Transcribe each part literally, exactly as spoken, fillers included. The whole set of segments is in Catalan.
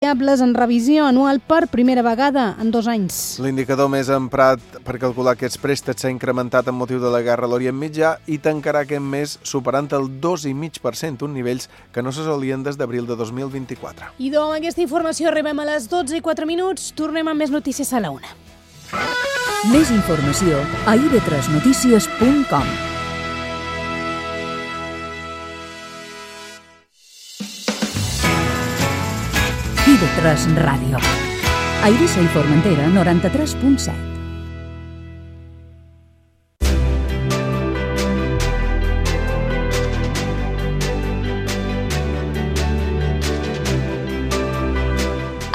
variables en revisió anual per primera vegada en dos anys. L'indicador més emprat per calcular aquests préstecs s'ha incrementat amb motiu de la guerra a l'Orient Mitjà i tancarà aquest mes superant el dos coma cinc per cent, uns nivells que no s'assolien des d'abril de dos mil vint-i-quatre. I doncs amb aquesta informació arribem a les dotze i quatre minuts. Tornem amb més notícies a la una. Més informació a i ve tres notícies punt com. i ve tres Ràdio. A Eivissa i Formentera, noranta-tres punt set.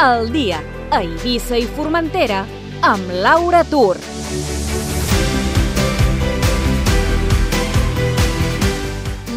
El dia a Eivissa i Formentera amb Laura Tur.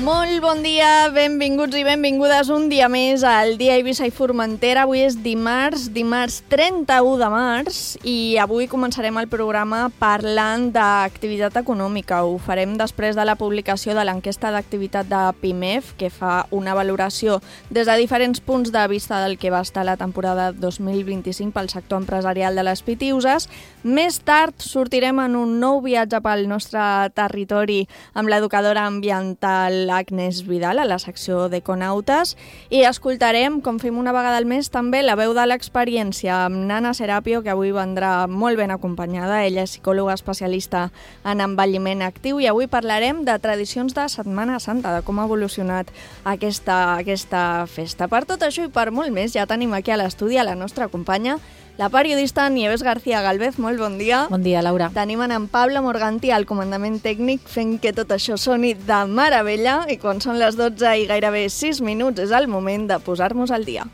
Molt bon dia, benvinguts i benvingudes un dia més al dia a Eivissa i Formentera. Avui és dimarts, dimarts trenta-u de març i avui començarem el programa parlant d'activitat econòmica. Ho farem després de la publicació de l'enquesta d'activitat de PIMEF, que fa una valoració des de diferents punts de vista del que va estar la temporada dos mil vint-i-cinc pel sector empresarial de les Pitiüses. Més tard sortirem en un nou viatge pel nostre territori amb l'educadora ambiental Agnès Vidal a la secció d'Econautes i escoltarem, com fem una vegada al mes, també la veu de l'experiència amb Nana Serapio, que avui vendrà molt ben acompanyada. Ella és psicòloga especialista en envelliment actiu i avui parlarem de tradicions de Setmana Santa, de com ha evolucionat aquesta, aquesta festa. Per tot això i per molt més, ja tenim aquí a l'estudi a la nostra companya, la periodista Nieves García Galvez. Molt bon dia. Bon dia, Laura. Tenim en Pablo Morganti al comandament tècnic fent que tot això soni de meravella i quan són les dotze i gairebé sis minuts és el moment de posar-nos al dia.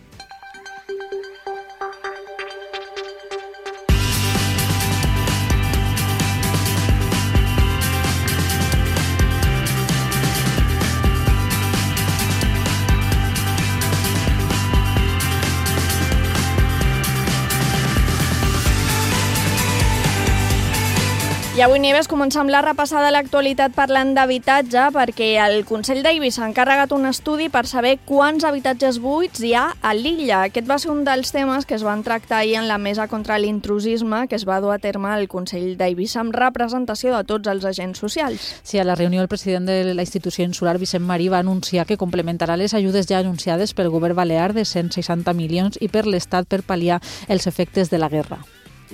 I avui, Nieves, comença amb la repassada de l'actualitat parlant d'habitatge perquè el Consell d'Eivissa ha encarregat un estudi per saber quants habitatges buits hi ha a l'illa. Aquest va ser un dels temes que es van tractar ahir en la mesa contra l'intrusisme que es va dur a terme al Consell d'Eivissa amb representació de tots els agents socials. Sí, a la reunió el president de la institució insular, Vicent Marí, va anunciar que complementarà les ajudes ja anunciades pel govern balear de cent seixanta milions i per l'Estat per pal·liar els efectes de la guerra.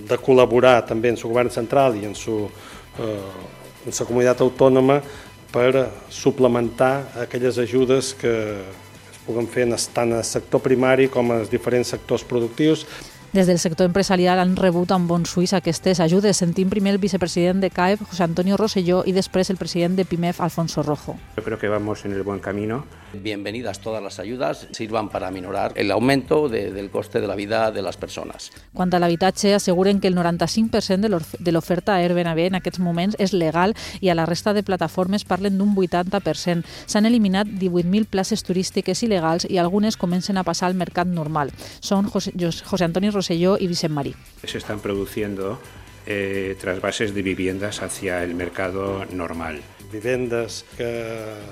De col·laborar també en el govern central i en su, eh, en la comunitat autònoma per suplementar aquelles ajudes que es puguen fer tant al sector primari com als diferents sectors productius. Des del sector empresarial han rebut amb bons ulls aquestes ajudes. Sentim primer el vicepresident de C A E P, José Antonio Rosselló, i després el president de PIMEF, Alfonso Rojo. Yo creo que vamos en el buen camino. Bienvenidas todas las ayudas, sirvan para minorar el aumento de, del coste de la vida de las persones. Quant a l'habitatge, asseguren que el noranta-cinc per cent de l'oferta Airbnb en aquests moments és legal i a la resta de plataformes parlen d'un vuitanta per cent. S'han eliminat divuit mil places turístiques il·legals i algunes comencen a passar al mercat normal. Són José, José Antonio Rosselló y Vicent Marí. Se están produciendo eh, trasvases de viviendas hacia el mercado normal. Vivendes que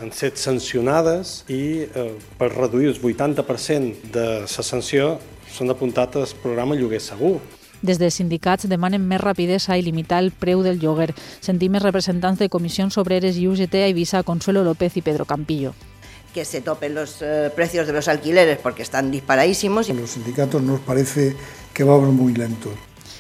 han estat sancionades i eh, per reduir el vuitanta per cent de la sanció s'han apuntat al programa Lloguer Segur. Des dels sindicats demanen més rapidesa i limitar el preu del lloguer. Sentim els representants de Comissions Obreres i U G T a Eivissa, Consuelo López y Pedro Campillo. Que se topen los eh, precios de los alquileres porque están disparadísimos. A los sindicatos nos parece que vamos muy lentos.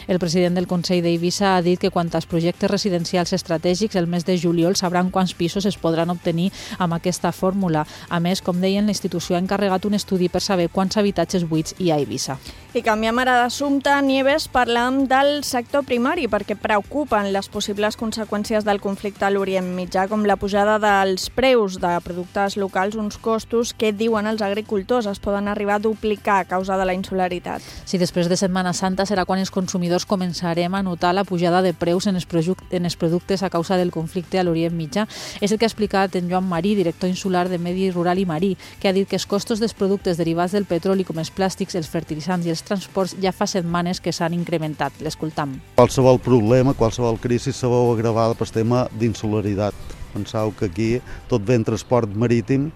El president del Consell d'Eivissa ha dit que quant als projectes residencials estratègics, el mes de juliol sabran quants pisos es podran obtenir amb aquesta fórmula. A més, com deien, la institució ha encarregat un estudi per saber quants habitatges buits hi ha a Eivissa. I canviem ara d'assumpte, Nieves, parlam del sector primari perquè preocupen les possibles conseqüències del conflicte a l'Orient Mitjà, com la pujada dels preus de productes locals, uns costos que, diuen els agricultors, es poden arribar a duplicar a causa de la insularitat. Sí, després de Setmana Santa serà quan els consumidors començarem a notar la pujada de preus en els, en els productes a causa del conflicte a l'Orient Mitjà. És el que ha explicat en Joan Marí, director insular de Medi Rural i Marí, que ha dit que els costos dels productes derivats del petroli, com els plàstics, els fertilitzants i els transports, ja fa setmanes que s'han incrementat. L'escoltam. Qualsevol problema, qualsevol crisi se veu agravada pel tema d'insularitat. Penseu que aquí tot ve en transport marítim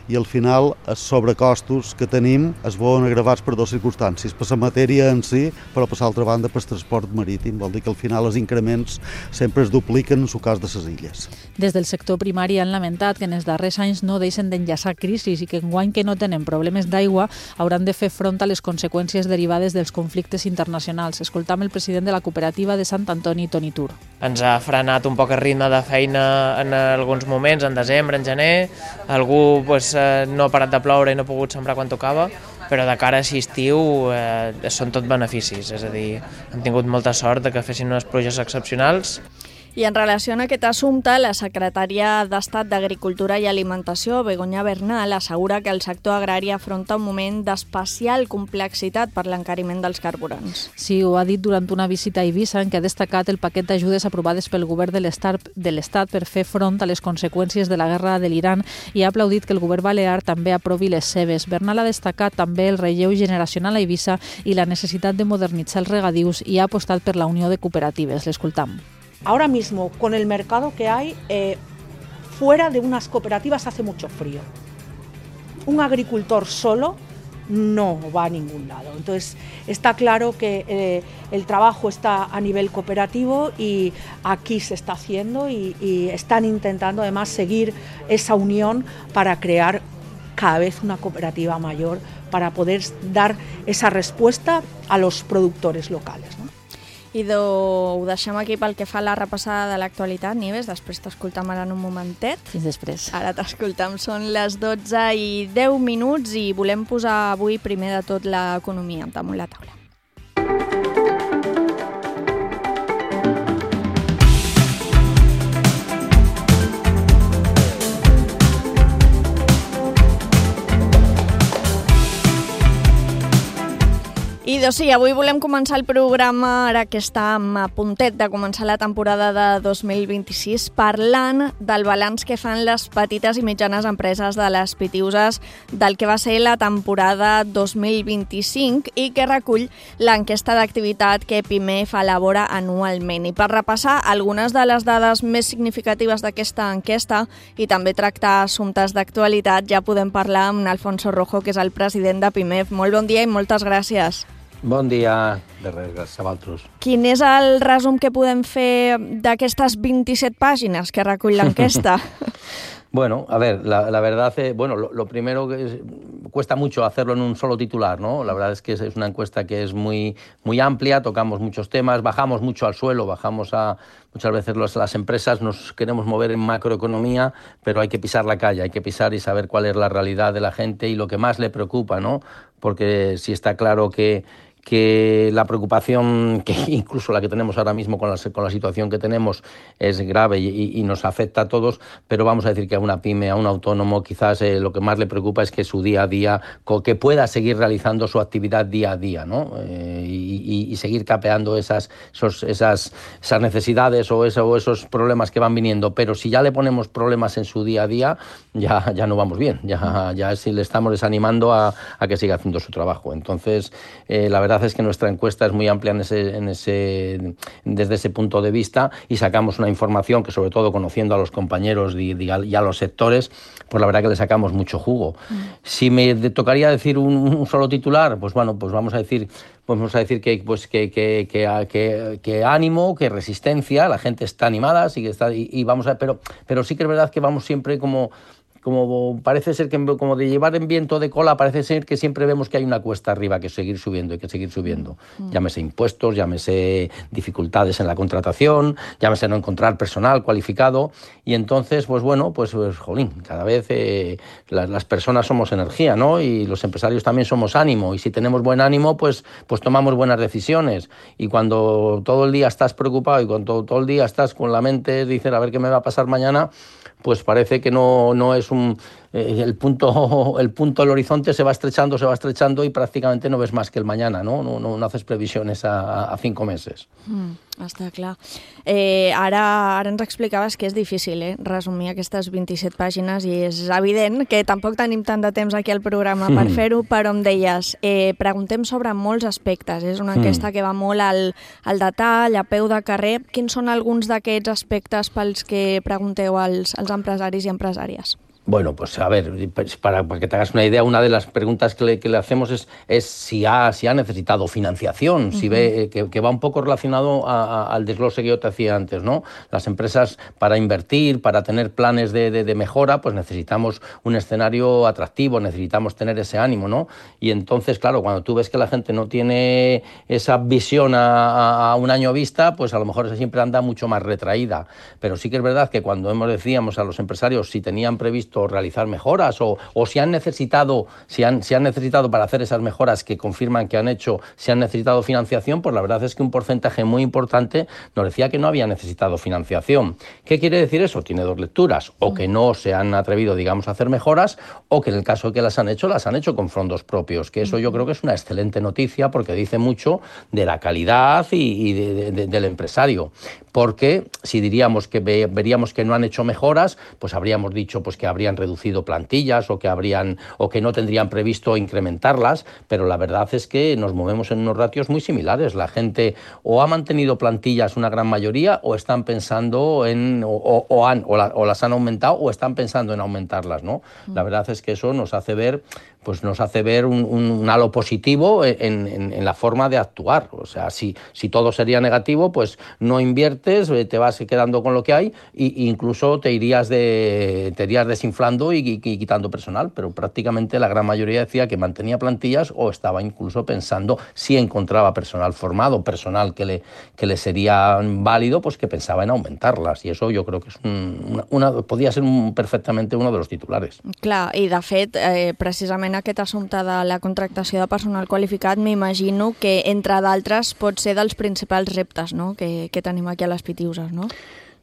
i al final els sobrecostos que tenim es veuen agravats per dues circumstàncies, per la matèria en si, però per l'altra banda per el transport marítim. Vol dir que al final els increments sempre es dupliquen en el cas de les illes. Des del sector primari han lamentat que en els darrers anys no deixen d'enllaçar crisis i que enguany que no tenen problemes d'aigua hauran de fer front a les conseqüències derivades dels conflictes internacionals. Escoltam el president de la cooperativa de Sant Antoni, Toni Tur. Ens ha frenat un poc el ritme de feina en alguns moments, en desembre, en gener. Algú pues, no ha parat de ploure i no ha pogut sembrar quan tocava, però de cara a aquest estiu eh, són tot beneficis. És a dir, hem tingut molta sort de que fessin unes pluges excepcionals. I en relació a aquest assumpte, la secretària d'Estat d'Agricultura i Alimentació, Begoña Bernal, assegura que el sector agrari afronta un moment d'especial complexitat per l'encariment dels carburants. Sí, ho ha dit durant una visita a Eivissa, en què ha destacat el paquet d'ajudes aprovades pel govern de l'Estat per fer front a les conseqüències de la guerra de l'Iran i ha aplaudit que el govern balear també aprovi les seves. Bernal ha destacat també el relleu generacional a Eivissa i la necessitat de modernitzar els regadius i ha apostat per la unió de cooperatives. L'escoltam. Ahora mismo, con el mercado que hay, eh, fuera de unas cooperativas hace mucho frío. Un agricultor solo no va a ningún lado. Entonces, está claro que eh, el trabajo está a nivel cooperativo y aquí se está haciendo y, y están intentando además seguir esa unión para crear cada vez una cooperativa mayor para poder dar esa respuesta a los productores locales, ¿no? I ho deixem aquí pel que fa a la repassada de l'actualitat. Nieves, després t'escoltam ara en un momentet. Fins després. Ara t'escoltam. Són les dotze i deu minuts i volem posar avui primer de tot l'economia damunt la taula. I doncs sí, avui volem començar el programa, ara que està a puntet de començar la temporada de dos mil vint-i-sis, parlant del balanç que fan les petites i mitjanes empreses de les Pitiuses del que va ser la temporada dos mil vint-i-cinc i que recull l'enquesta d'activitat que Pimef elabora anualment. I per repassar algunes de les dades més significatives d'aquesta enquesta i també tractar assumptes d'actualitat, ja podem parlar amb Alfonso Rojo, que és el president de Pimef. Molt bon dia i moltes gràcies. Bon dia, de res, gràcies a vosaltres. Quin és el resum que podem fer d'aquestes vint-i-set pàgines que recull l'enquesta? Bueno, a ver, la, la verdad, eh, bueno, lo, lo primero que es, cuesta mucho hacerlo en un solo titular, ¿no? La verdad es que es, es una encuesta que es muy, muy amplia, tocamos muchos temas, bajamos mucho al suelo, bajamos a... Muchas veces los, las empresas nos queremos mover en macroeconomía, pero hay que pisar la calle, hay que pisar y saber cuál es la realidad de la gente y lo que más le preocupa, ¿no? Porque sí está claro que... que la preocupación, que incluso la que tenemos ahora mismo con la, con la situación que tenemos, es grave y, y nos afecta a todos, pero vamos a decir que a una pyme, a un autónomo, quizás eh, lo que más le preocupa es que su día a día, que pueda seguir realizando su actividad día a día, ¿no? Eh, y, y seguir capeando esas, esos, esas, esas necesidades o, eso, o esos problemas que van viniendo. Pero si ya le ponemos problemas en su día a día, ya, ya no vamos bien, ya, ya si le estamos desanimando a, a que siga haciendo su trabajo. Entonces, eh, la verdad es que nuestra encuesta es muy amplia en ese, en ese, desde ese punto de vista y sacamos una información que, sobre todo conociendo a los compañeros y, y a los sectores, pues la verdad que le sacamos mucho jugo. Mm. Si me tocaría decir un, un solo titular, pues bueno, pues vamos a decir, pues vamos a decir que, pues que, que, que, que, que ánimo, que resistencia, la gente está animada, sí que está, y, y vamos a, pero, pero sí que es verdad que vamos siempre como... Como parece ser que, como de llevar en viento de cola, parece ser que siempre vemos que hay una cuesta arriba que seguir subiendo, hay que seguir subiendo. Mm. Llámese impuestos, llámese dificultades en la contratación, llámese no encontrar personal cualificado. Y entonces, pues bueno, pues, pues jolín, cada vez eh, las, las personas somos energía, ¿no? Y los empresarios también somos ánimo. Y si tenemos buen ánimo, pues, pues tomamos buenas decisiones. Y cuando todo el día estás preocupado y cuando todo, todo el día estás con la mente, dices, a ver qué me va a pasar mañana, pues parece que no, no es un, eh, el, punto, el punto del horizonte se va estrechando, se va estrechando y prácticamente no ves más que el mañana, no, no, no, no haces previsiones a, a cinco meses. Mm, està clar. Eh, ara, ara ens explicaves que és difícil eh, resumir aquestes vint-i-set pàgines i és evident que tampoc tenim tant de temps aquí al programa per Mm. fer-ho, però em deies, eh, preguntem sobre molts aspectes. És una Mm. enquesta que va molt al, al detall, a peu de carrer. Quins són alguns d'aquests aspectes pels que pregunteu als, als empresaris i empresàries? Bueno, pues a ver, pues para, para que te hagas una idea, una de las preguntas que le, que le hacemos es, es si, ha, si ha necesitado financiación, uh-huh. si ve que, que va un poco relacionado a, a, al desglose que yo te hacía antes, ¿no? Las empresas para invertir, para tener planes de, de, de mejora, pues necesitamos un escenario atractivo, necesitamos tener ese ánimo, ¿no? Y entonces, claro, cuando tú ves que la gente no tiene esa visión a, a un año vista, pues a lo mejor siempre anda mucho más retraída. Pero sí que es verdad que cuando hemos decíamos a los empresarios si tenían previsto realizar mejoras o, o si han necesitado si han, si han necesitado para hacer esas mejoras que confirman que han hecho, si han necesitado financiación, pues la verdad es que un porcentaje muy importante nos decía que no había necesitado financiación. ¿Qué quiere decir eso? Tiene dos lecturas, o que no se han atrevido, digamos, a hacer mejoras, o que en el caso de que las han hecho, las han hecho con fondos propios, que eso yo creo que es una excelente noticia porque dice mucho de la calidad y, y de, de, de, del empresario. Porque si diríamos que ve, veríamos que no han hecho mejoras, pues habríamos dicho pues que habrían reducido plantillas o que habrían o que no tendrían previsto incrementarlas, pero la verdad es que nos movemos en unos ratios muy similares. La gente o ha mantenido plantillas una gran mayoría o están pensando en o, o, o han o, la, o las han aumentado o están pensando en aumentarlas, ¿no? La verdad es que eso nos hace ver pues nos hace ver un, un, un halo positivo en, en, en la forma de actuar. O sea, si, si todo sería negativo, pues no inviertes, te vas quedando con lo que hay e incluso te irías, de, te irías desinflando y, y, y quitando personal. Pero prácticamente la gran mayoría decía que mantenía plantillas o estaba incluso pensando, si encontraba personal formado, personal que le, que le sería válido, pues que pensaba en aumentarlas. Y eso yo creo que es un, una, una, podía ser un, perfectamente uno de los titulares. Clar, i de fet, eh, precisament aquest assumpte de la contractació de personal qualificat m'imagino que, entre d'altres, pot ser dels principals reptes, no?, que, que tenim aquí a les Pitiuses, no?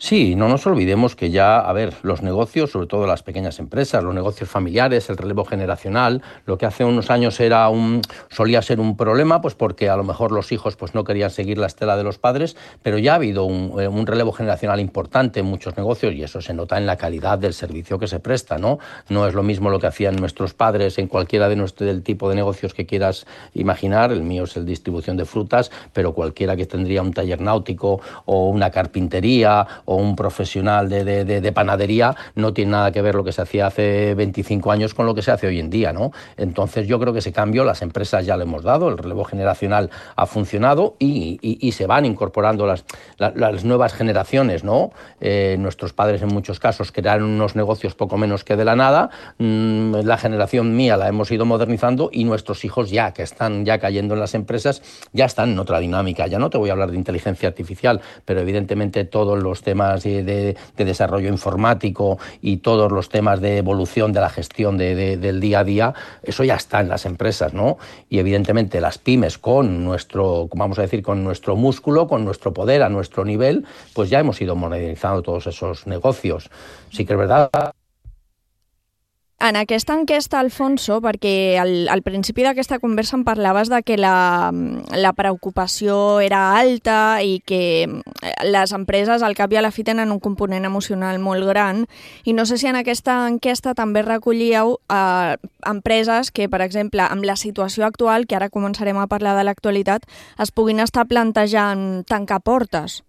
Sí, no nos olvidemos que ya, a ver, los negocios, sobre todo las pequeñas empresas, los negocios familiares, el relevo generacional, lo que hace unos años era un, solía ser un problema, pues porque a lo mejor los hijos pues no querían seguir la estela de los padres, pero ya ha habido un, un relevo generacional importante en muchos negocios y eso se nota en la calidad del servicio que se presta, ¿no? No es lo mismo lo que hacían nuestros padres en cualquiera de nuestro, del tipo de negocios que quieras imaginar. El mío es el distribución de frutas, pero cualquiera que tendría un taller náutico o una carpintería o un profesional de, de, de, de panadería no tiene nada que ver lo que se hacía hace veinticinco años con lo que se hace hoy en día, ¿no? Entonces yo creo que ese cambio las empresas ya lo hemos dado, el relevo generacional ha funcionado y, y, y se van incorporando las, la, las nuevas generaciones, ¿no? Eh, nuestros padres en muchos casos crearon unos negocios poco menos que de la nada, mm, la generación mía la hemos ido modernizando y nuestros hijos ya, que están ya cayendo en las empresas, ya están en otra dinámica. Ya no te voy a hablar de inteligencia artificial, pero evidentemente todos los temas De, de, de desarrollo informático y todos los temas de evolución de la gestión de, de, del día a día, eso ya está en las empresas, ¿no? Y evidentemente las pymes con nuestro, vamos a decir, con nuestro músculo, con nuestro poder a nuestro nivel, pues ya hemos ido modernizando todos esos negocios. Sí que es verdad. En aquesta enquesta, Alfonso, perquè al, al principi d'aquesta conversa em parlaves de que la, la preocupació era alta i que les empreses al cap i a la fi tenen un component emocional molt gran i no sé si en aquesta enquesta també recollíeu eh, empreses que, per exemple, amb la situació actual, que ara començarem a parlar de l'actualitat, es puguin estar plantejant tancar portes.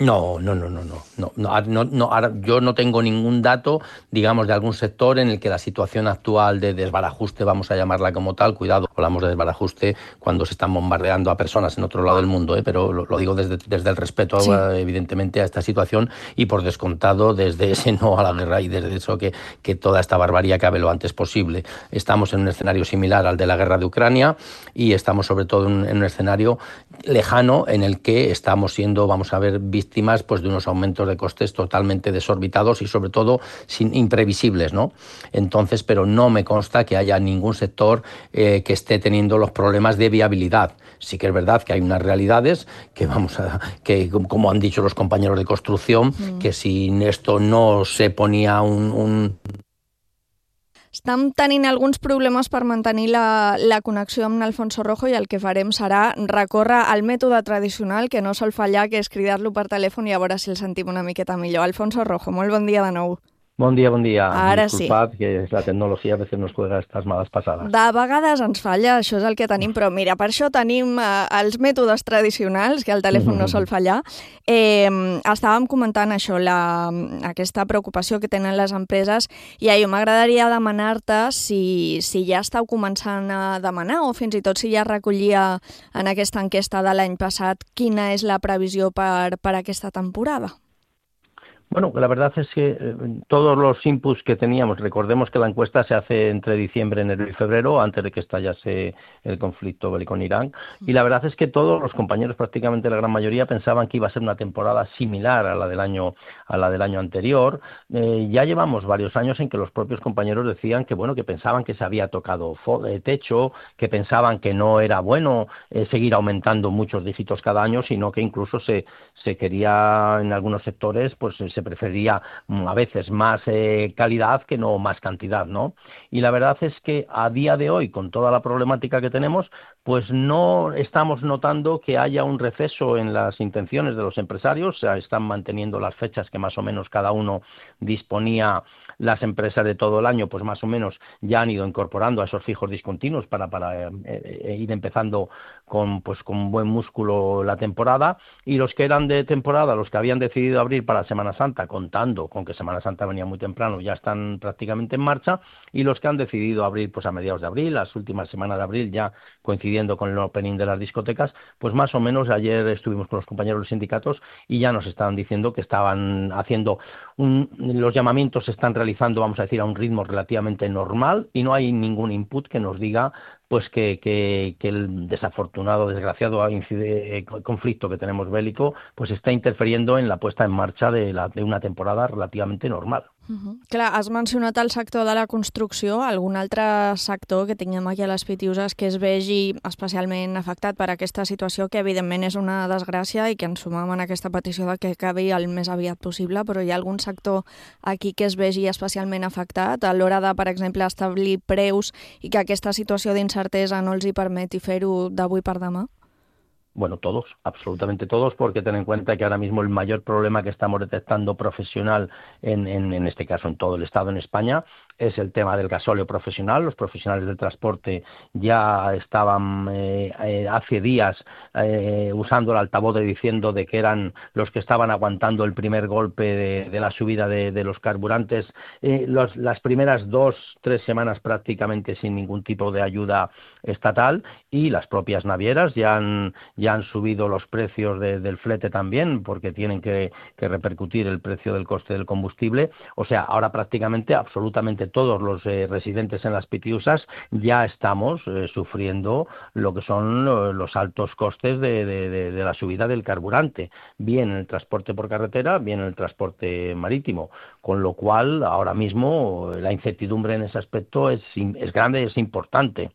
No, no, no, no, no, no, no, no, no ahora yo no tengo ningún dato, digamos, de algún sector en el que la situación actual de desbarajuste, vamos a llamarla como tal, cuidado, hablamos de desbarajuste cuando se están bombardeando a personas en otro lado del mundo, ¿eh? Pero lo, lo digo desde, desde el respeto, sí. evidentemente, a esta situación y por descontado desde ese no a la guerra y desde eso que, que toda esta barbarie acabe lo antes posible. Estamos en un escenario similar al de la guerra de Ucrania y estamos sobre todo en, en un escenario lejano en el que estamos siendo, vamos a ver, víctimas pues de unos aumentos de costes totalmente desorbitados y sobre todo sin, imprevisibles, ¿no? Entonces, pero no me consta que haya ningún sector eh, que esté teniendo los problemas de viabilidad. Sí que es verdad que hay unas realidades que vamos a, que como han dicho los compañeros de construcción, mm. que si esto no se ponía un, un estem tenint alguns problemes per mantenir la, la connexió amb Alfonso Rojo i el que farem serà recórrer al mètode tradicional que no sol fallar, que és cridar-lo per telèfon i a veure si el sentim una miqueta millor. Alfonso Rojo, molt bon dia de nou. Bon dia, bon dia. Ara Disculpad, sí. que la tecnologia a veces nos juega estas malas pasadas. De vegades ens falla, això és el que tenim, però mira, per això tenim eh, els mètodes tradicionals, que el telèfon no sol fallar. Eh, estàvem comentant això, la, aquesta preocupació que tenen les empreses, i a mi m'agradaria demanar-te si, si ja estàu començant a demanar, o fins i tot si ja recollia en aquesta enquesta de l'any passat, quina és la previsió per, per aquesta temporada. Bueno, la verdad es que eh, todos los inputs que teníamos, recordemos que la encuesta se hace entre diciembre, enero y febrero, antes de que estallase el conflicto bélico en Irán, y la verdad es que todos los compañeros, prácticamente la gran mayoría, pensaban que iba a ser una temporada similar a la del año, a la del año anterior. Eh, ya llevamos varios años en que los propios compañeros decían que, bueno, que pensaban que se había tocado techo, que pensaban que no era bueno eh, seguir aumentando muchos dígitos cada año, sino que incluso se, se quería en algunos sectores, pues se prefería a veces más eh, calidad que no más cantidad, ¿no? Y la verdad es que a día de hoy, con toda la problemática que tenemos, pues no estamos notando que haya un receso en las intenciones de los empresarios. O sea, están manteniendo las fechas que más o menos cada uno disponía. Las empresas de todo el año, pues más o menos ya han ido incorporando a esos fijos discontinuos para, para eh, eh, ir empezando con, pues, con buen músculo la temporada, y los que eran de temporada, los que habían decidido abrir para Semana Santa, contando con que Semana Santa venía muy temprano, ya están prácticamente en marcha, y los que han decidido abrir pues a mediados de abril, las últimas semanas de abril, ya coincidiendo con el opening de las discotecas, pues más o menos ayer estuvimos con los compañeros de los sindicatos y ya nos estaban diciendo que estaban haciendo un, los llamamientos se están realizando, vamos a decir, a un ritmo relativamente normal, y no hay ningún input que nos diga pues que, que, que el desafortunado, desgraciado incide, conflicto que tenemos bélico, pues està interfiriendo en la puesta en marcha de, la, de una temporada relativamente normal. Uh-huh. Clar, has mencionat el sector de la construcció, algun altre sector que tinguem aquí a les Pitiuses que es vegi especialment afectat per aquesta situació, que evidentment és una desgràcia i que ens sumem en aquesta petició de que acabi el més aviat possible, però hi ha algun sector aquí que es vegi especialment afectat a l'hora de, per exemple, establir preus i que aquesta situació d'incertesa no els hi permeti fer-ho d'avui per demà? Bueno, todos, absolutamente todos, porque ten en cuenta que ahora mismo el mayor problema que estamos detectando profesional, en, en, en este caso en todo el Estado, en España, es el tema del gasóleo profesional. Los profesionales del transporte ya estaban eh, eh, hace días eh, usando el altavoz de diciendo de que eran los que estaban aguantando el primer golpe de, de la subida de, de los carburantes. Eh, los, las primeras dos, tres semanas prácticamente sin ningún tipo de ayuda estatal, y las propias navieras ya han, ya han subido los precios de, del flete también, porque tienen que, que repercutir el precio del coste del combustible. O sea, ahora prácticamente absolutamente todos los eh, residentes en las Pitiusas ya estamos eh, sufriendo lo que son lo, los altos costes de, de, de, de la subida del carburante, bien en el transporte por carretera, bien en el transporte marítimo, con lo cual ahora mismo la incertidumbre en ese aspecto es, es grande, es importante.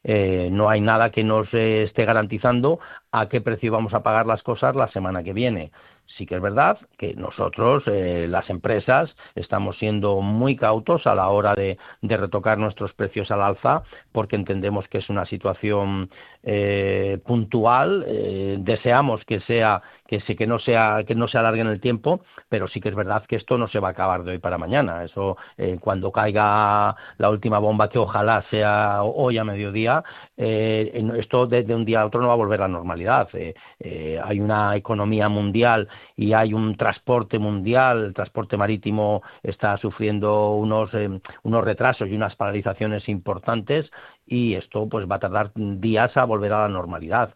Eh, no hay nada que nos eh, esté garantizando a qué precio vamos a pagar las cosas la semana que viene. Sí que es verdad que nosotros, eh, las empresas, estamos siendo muy cautos a la hora de, de retocar nuestros precios al alza, porque entendemos que es una situación eh, puntual. Eh, deseamos que sea que se, que no sea que no se alargue en el tiempo, pero sí que es verdad que esto no se va a acabar de hoy para mañana. Eso eh, cuando caiga la última bomba, que ojalá sea hoy a mediodía, eh, esto de, de un día a otro no va a volver a la normalidad. Eh, eh, hay una economía mundial y hay un transporte mundial, el transporte marítimo está sufriendo unos eh, unos retrasos y unas paralizaciones importantes, y esto pues va a tardar días a volver a la normalidad.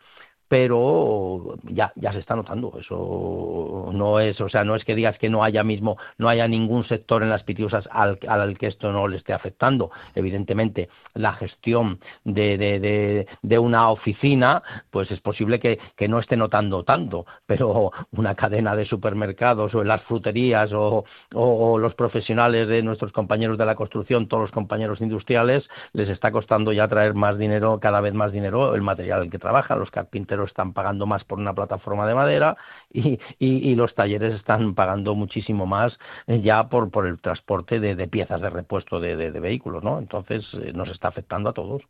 Pero ya ya se está notando, eso no es, o sea, no es que digas que no haya mismo, no haya ningún sector en las Pitiusas al, al que esto no le esté afectando. Evidentemente, la gestión de, de, de, de una oficina, pues es posible que, que no esté notando tanto, pero una cadena de supermercados o en las fruterías o, o, o los profesionales de nuestros compañeros de la construcción, todos los compañeros industriales, les está costando ya traer más dinero, cada vez más dinero, el material en que trabajan, los carpinteros pero están pagando más por una plataforma de madera y, y, y los talleres están pagando muchísimo más eh, ya por, por el transporte de, de piezas de repuesto de, de, de vehículos, ¿no? Entonces eh, nos está afectando a todos.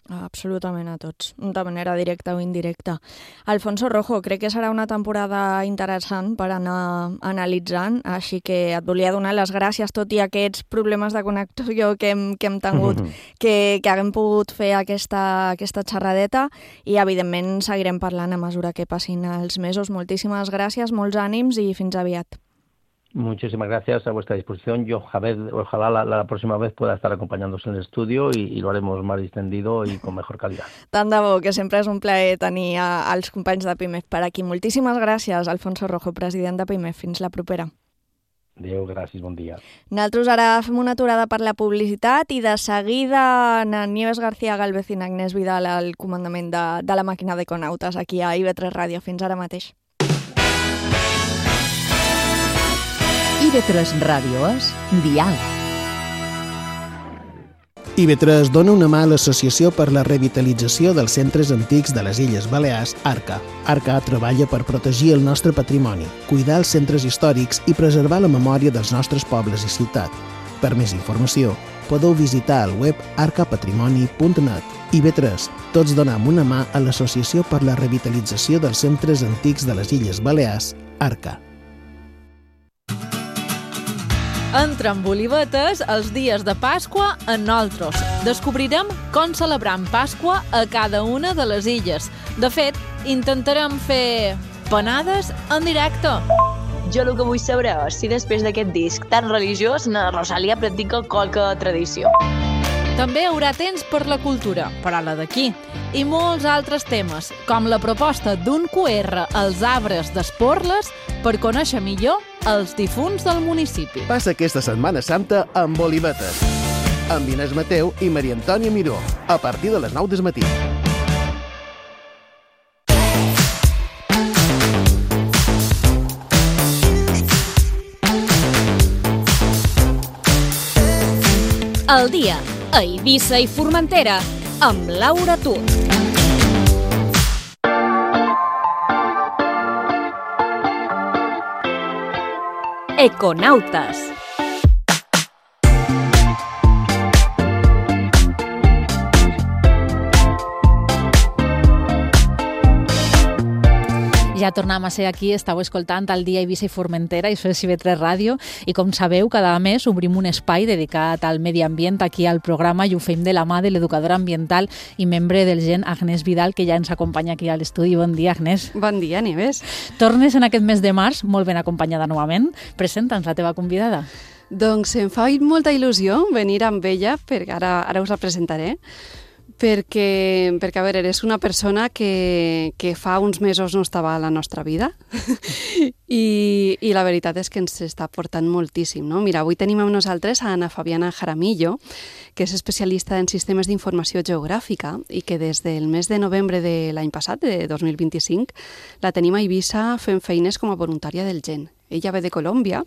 Absolutament a tots, de manera directa o indirecta. Alfonso Rojo, crec que serà una temporada interessant per anar analitzant, així que et volia donar les gràcies, tot i aquests problemes de connexió que hem, que hem tingut, que, que haguem pogut fer aquesta, aquesta xerradeta, i evidentment seguirem parlant a mesura que passin els mesos. Moltíssimes gràcies, molts ànims i fins aviat. Muchísimas gracias, a vuestra disposición. Yo, Javier, ojalá la, la próxima vez pueda estar acompañándose en el estudio y, y lo haremos más distendido y con mejor calidad. Tant de bo, que sempre és un plaer tenir a, als companys de Pimef per aquí. Moltíssimes gràcies, Alfonso Rojo, president de Pimef. Fins la propera. Adéu, gràcies, bon dia. Nosaltres ara fem una aturada per la publicitat i de seguida na Nieves García Galvez i Agnès Vidal al comandament de, de la màquina d'Econautes aquí a I V tres Ràdio. Fins ara mateix. I V tres Ràdio és diàleg. I V tres dona una mà a l'Associació per la Revitalització dels Centres Antics de les Illes Balears, ARCA. ARCA treballa per protegir el nostre patrimoni, cuidar els centres històrics i preservar la memòria dels nostres pobles i ciutat. Per més informació, podeu visitar el web arca patrimoni punt net. I V tres, tots donem una mà a l'Associació per la Revitalització dels Centres Antics de les Illes Balears, ARCA. Entra amb olivetes els dies de Pasqua en nosaltres. Descobrirem com celebram Pasqua a cada una de les illes. De fet, intentarem fer panades en directe. Jo el que vull saber és si després d'aquest disc tan religiós na Rosalia practica qualque tradició. També hi haurà temps per la cultura, per a la d'aquí, i molts altres temes, com la proposta d'un Q R als arbres d'Esporles per conèixer millor els difunts del municipi. Passa aquesta Setmana Santa amb Olivetes, amb Inés Mateu i Maria Antònia Miró, a partir de les nou del matí. El dia a Eivissa i Formentera amb Laura Tur. Econautes. Ja tornem a ser aquí, estàu escoltant el dia Eivissa i Formentera, i això és I V tres Ràdio, i com sabeu, cada mes obrim un espai dedicat al medi ambient aquí al programa i ho fem de la mà de l'educadora ambiental i membre del G E N, Agnès Vidal, que ja ens acompanya aquí a l'estudi. Bon dia, Agnès. Bon dia, Nieves. Tornes en aquest mes de març, molt ben acompanyada novament. Presenta'ns la teva convidada. Doncs em fa molta il·lusió venir amb ella, perquè ara, ara us la presentaré, perquè, perquè a veure, eres una persona que, que fa uns mesos no estava a la nostra vida i, i la veritat és que ens està portant moltíssim, no? Mira, avui tenim amb nosaltres a Ana Fabiana Jaramillo, que és especialista en sistemes d'informació geogràfica i que des del mes de novembre de l'any passat, de dos mil vint-i-cinc, la tenim a Eivissa fent feines com a voluntària del G E N. Ella ve de Colòmbia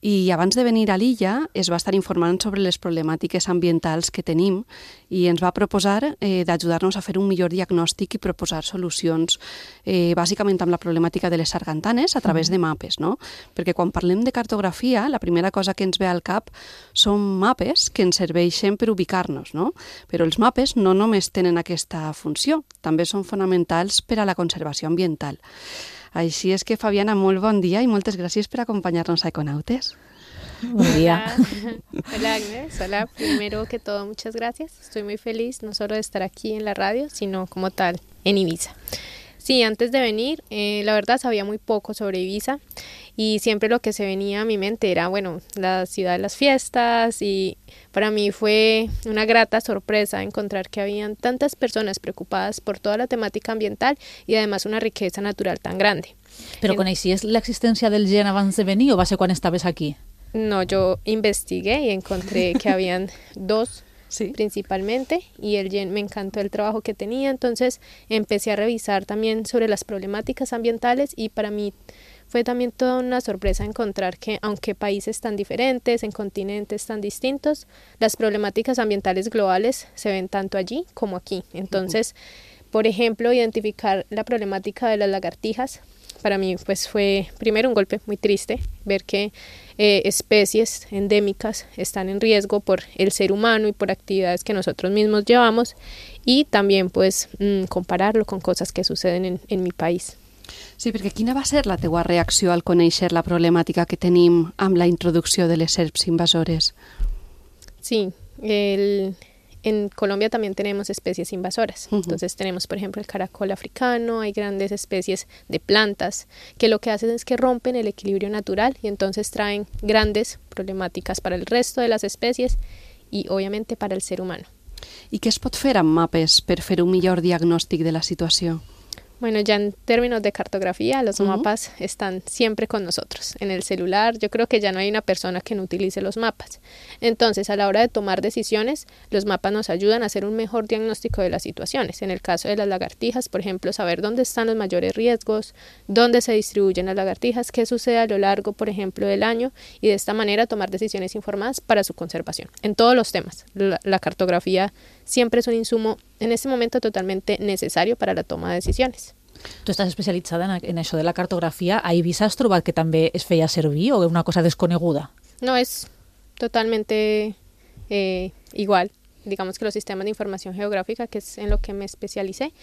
i abans de venir a l'illa es va estar informant sobre les problemàtiques ambientals que tenim i ens va proposar eh, d'ajudar-nos a fer un millor diagnòstic i proposar solucions eh, bàsicament amb la problemàtica de les sargantanes a través de mapes, no? Perquè quan parlem de cartografia, la primera cosa que ens ve al cap són mapes que ens serveixen per ubicar-nos, no? Però els mapes no només tenen aquesta funció, també són fonamentals per a la conservació ambiental. Així és que, Fabiana, molt bon dia y moltes gràcies por acompañarnos a Econautes. Buen día. Hola, Agnes. Hola, primero que todo, muchas gracias. Estoy muy feliz no solo de estar aquí en la radio, sino como tal en Eivissa. Sí, antes de venir, eh, la verdad sabía muy poco sobre Eivissa y siempre lo que se venía a mi mente era, bueno, la ciudad de las fiestas, y para mí fue una grata sorpresa encontrar que habían tantas personas preocupadas por toda la temática ambiental y además una riqueza natural tan grande. ¿Pero coneixies l'existència del G E N abans de venir o va ser quan estaves aquí? No, yo investigué y encontré que habían dos Sí. principalmente, y el G E N me encantó el trabajo que tenía, entonces empecé a revisar también sobre las problemáticas ambientales y para mí fue también toda una sorpresa encontrar que aunque países tan diferentes, en continentes tan distintos, las problemáticas ambientales globales se ven tanto allí como aquí. Entonces, uh-huh. por ejemplo, identificar la problemática de las lagartijas. Para mí pues fue primero un golpe muy triste ver que eh, especies endémicas están en riesgo por el ser humano y por actividades que nosotros mismos llevamos, y también pues mmm, compararlo con cosas que suceden en, en mi país. Sí, perquè quina va ser la teua reacció al conèixer la problemàtica que tenim amb la introducció de les serps invasores? Sí, el... En Colombia también tenemos especies invasoras. Uh-huh. Entonces tenemos, por ejemplo, el caracol africano, hay grandes especies de plantas que lo que hacen es que rompen el equilibrio natural y entonces traen grandes problemáticas para el resto de las especies y obviamente para el ser humano. I què es pot fer amb mapes per fer un millor diagnòstic de la situació? Bueno, ya en términos de cartografía, los uh-huh. mapas están siempre con nosotros. En el celular, yo creo que ya no hay una persona que no utilice los mapas. Entonces, a la hora de tomar decisiones, los mapas nos ayudan a hacer un mejor diagnóstico de las situaciones. En el caso de las lagartijas, por ejemplo, saber dónde están los mayores riesgos, dónde se distribuyen las lagartijas, qué sucede a lo largo, por ejemplo, del año, y de esta manera tomar decisiones informadas para su conservación. En todos los temas, la, la cartografía siempre es un insumo en este momento totalmente necesario para la toma de decisiones. Tu estàs especialitzada en, en això de la cartografia. A Eivissa has trobat que també es feia servir o una cosa desconeguda? No, es totalmente eh, igual. Digamos que los sistemas de información geográfica, que es en lo que me especialicé,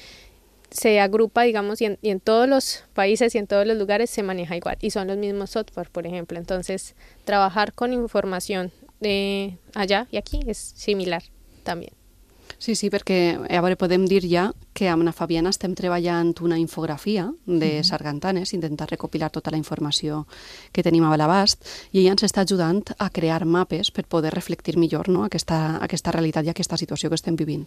se agrupa, digamos, y en, y en todos los países y en todos los lugares se maneja igual. Y son los mismos software, por ejemplo. Entonces, trabajar con información de allá y aquí es similar también. Sí, sí, perquè a veure, podem dir ja que amb la Fabiana estem treballant una infografia de uh-huh. sargantanes, intentar recopilar tota la informació que tenim a l'abast, i ella ens està ajudant a crear mapes per poder reflectir millor, no? aquesta, aquesta realitat i aquesta situació que estem vivint,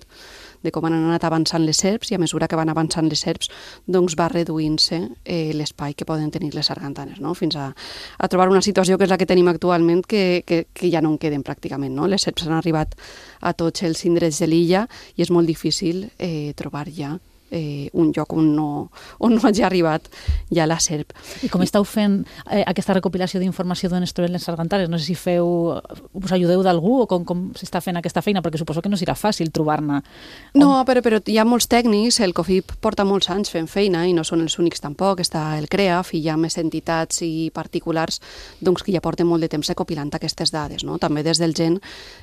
de com han anat avançant les serps, i a mesura que van avançant les serps doncs va reduint-se eh, l'espai que poden tenir les sargantanes, no? Fins a, a trobar una situació que és la que tenim actualment, que, que, que ja no en queden pràcticament, no? Les serps han arribat a tots els indrets de l'illa i és molt difícil eh, trobar ja eh, un lloc on no, on no hagi arribat ja la serp. I com esteu fent eh, aquesta recopilació d'informació d'on es troben les sargantanes? No sé si feu, us ajudeu d'algú o com, com s'està fent aquesta feina, perquè suposo que no serà fàcil trobar-ne. No, però, però hi ha molts tècnics, el COFIP porta molts anys fent feina i no són els únics tampoc, està el CREAF i hi ha més entitats i particulars doncs, que ja porten molt de temps recopilant aquestes dades. No? També des del Gen,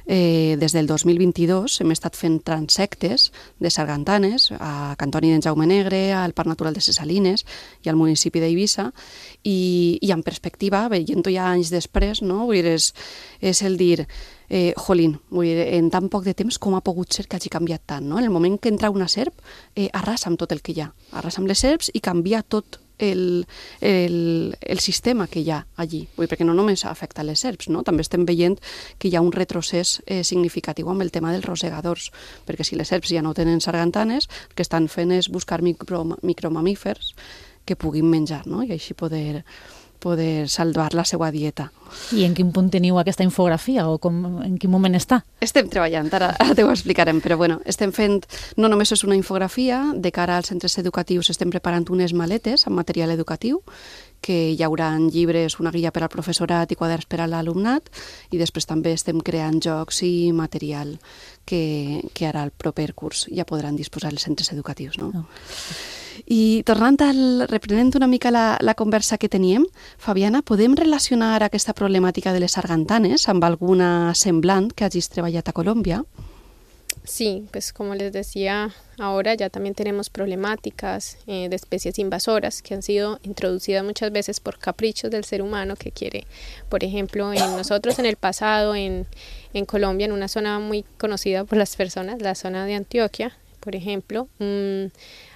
eh, des del dos mil vint-i-dos hem estat fent transectes de sargantanes a Cantoni d'en Jaume Negre, al Parc Natural de ses Salines i al municipi d'Eivissa, i, i en perspectiva, veient-ho ja anys després, no? Vull dir, és, és el dir, eh, jolín, vull dir, en tan poc de temps com ha pogut ser que hagi canviat tant, no? En el moment que entra una serp, eh, arrasa amb tot el que hi ha, arrasa amb les serps i canvia tot el, el, el sistema que hi ha allí, vull dir, perquè no només afecta les serps, no? També estem veient que hi ha un retrocés eh, significatiu amb el tema dels rosegadors, perquè si les serps ja no tenen sargantanes, el que estan fent és buscar micro, micromamífers que puguin menjar, no? I així poder, poder salvar la seva dieta. I en quin punt teniu aquesta infografia o com, en quin moment està? Estem treballant, ara, ara t'ho explicarem, però bueno, estem fent, no només és una infografia, de cara als centres educatius estem preparant unes maletes amb material educatiu, que hi haurà llibres, una guia per al professorat i quaderns per a l'alumnat, i després també estem creant jocs i material que, que ara al proper curs ja podran disposar els centres educatius. No? Oh. I tornant al, reprenent una mica la, la conversa que teníem, Fabiana, podem relacionar aquesta problemàtica de les sargantanes amb alguna semblant que hagis treballat a Colombia? Sí, pues como les decía, ahora ya también tenemos problemáticas eh, de especies invasoras que han sido introducidas muchas veces por caprichos del ser humano que quiere, por ejemplo, en nosotros en el pasado, en, en Colombia, en una zona muy conocida por las personas, la zona de Antioquia, por ejemplo, mmm,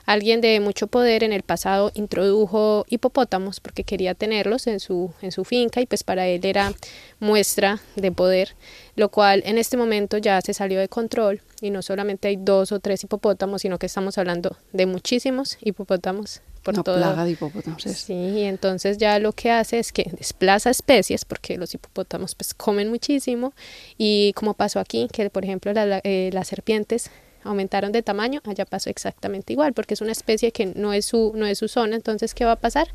alguien de mucho poder en el pasado introdujo hipopótamos porque quería tenerlos en su, en su finca y pues para él era muestra de poder, lo cual en este momento ya se salió de control y no solamente hay dos o tres hipopótamos, sino que estamos hablando de muchísimos hipopótamos por Una todo. plaga de hipopótamos. Sí, y entonces ya lo que hace es que desplaza especies porque los hipopótamos pues comen muchísimo y como pasó aquí, que por ejemplo la, eh, las serpientes aumentaron de tamaño, allá pasó exactamente igual, porque es una especie que no es su, no es su zona, entonces ¿qué va a pasar?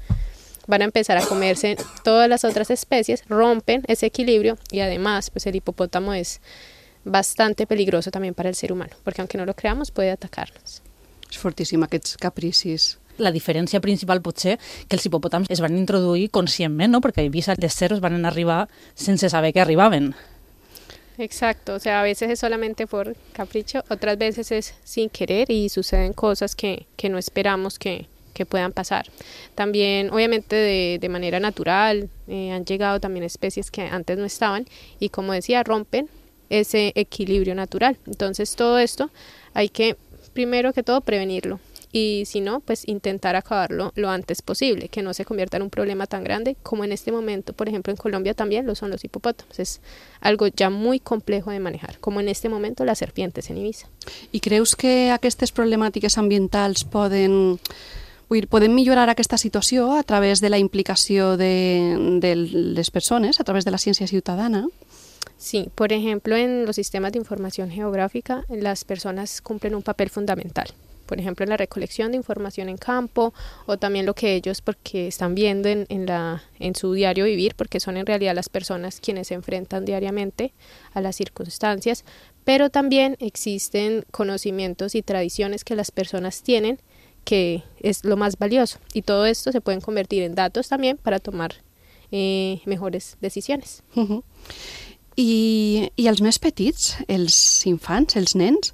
Van a empezar a comerse todas las otras especies, rompen ese equilibrio y además pues el hipopótamo es bastante peligroso también para el ser humano, porque aunque no lo creamos puede atacarnos. És fortíssim, aquests capricis. La diferència principal pot ser que els hipopòtams es van introduir conscientment, ¿no? Perquè a Eivissa les cervos van arribar sense saber que arribaven. Exacto, o sea, a veces es solamente por capricho, otras veces es sin querer y suceden cosas que, que no esperamos que, que puedan pasar. También, obviamente, de, de manera natural, eh, han llegado también especies que antes no estaban y, como decía, rompen ese equilibrio natural. Entonces, todo esto hay que, primero que todo, prevenirlo. Y si no, pues intentar acabarlo lo antes posible, que no se convierta en un problema tan grande como en este momento, por ejemplo, en Colombia también lo son los hipopótamos. Es algo ya muy complejo de manejar, como en este momento las serpientes en Eivissa. I creus que aquestes problemàtiques ambientals poden, vull dir, poden millorar aquesta situació a través de la implicació de, de les persones, a través de la ciència ciutadana? Sí, por ejemplo, en los sistemas de información geográfica, las personas cumplen un papel fundamental. Por ejemplo, en la recolección de información en campo o también lo que ellos porque están viendo en, en, la, en su diario vivir, porque son en realidad las personas quienes se enfrentan diariamente a las circunstancias, pero también existen conocimientos y tradiciones que las personas tienen que es lo más valioso y todo esto se pueden convertir en datos también para tomar eh, mejores decisiones. Uh-huh. I, I els més petits, els infants, els nens,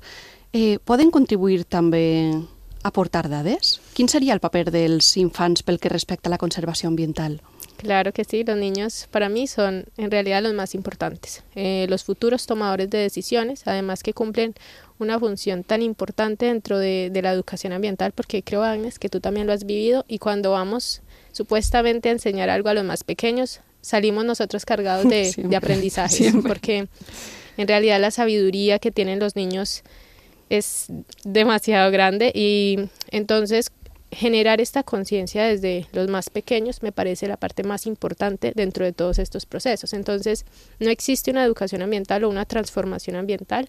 Eh, poden contribuir també a aportar dades? Quin seria el paper dels infants pel que respecta a la conservació ambiental? Claro que sí, los niños para mí son en realidad los más importantes, eh, los futuros tomadores de decisiones, además que cumplen una función tan importante dentro de, de la educación ambiental, porque creo, Agnes, que tú también lo has vivido y cuando vamos supuestamente a enseñar algo a los más pequeños, salimos nosotros cargados de, de aprendizajes, siempre. Porque en realidad la sabiduría que tienen los niños es demasiado grande y entonces generar esta conciencia desde los más pequeños me parece la parte más importante dentro de todos estos procesos. Entonces no existe una educación ambiental o una transformación ambiental,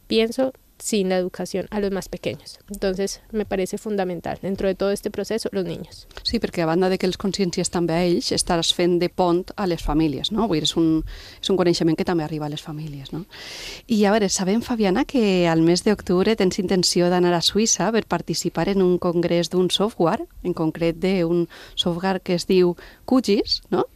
pienso, sin la educación a los más pequeños. Entonces me parece fundamental dentro de todo este proceso los niños. Sí, perquè a banda de que els consciències també a ells, estàs fent de pont a les famílies, no? Vull dir, és un, és un coneixement que també arriba a les famílies, no? I a veure, sabem, Fabiana, que al mes d'octubre tens intenció d'anar a Suïssa per participar en un congrés d'un software, en concret d'un software que es diu QGIS, no?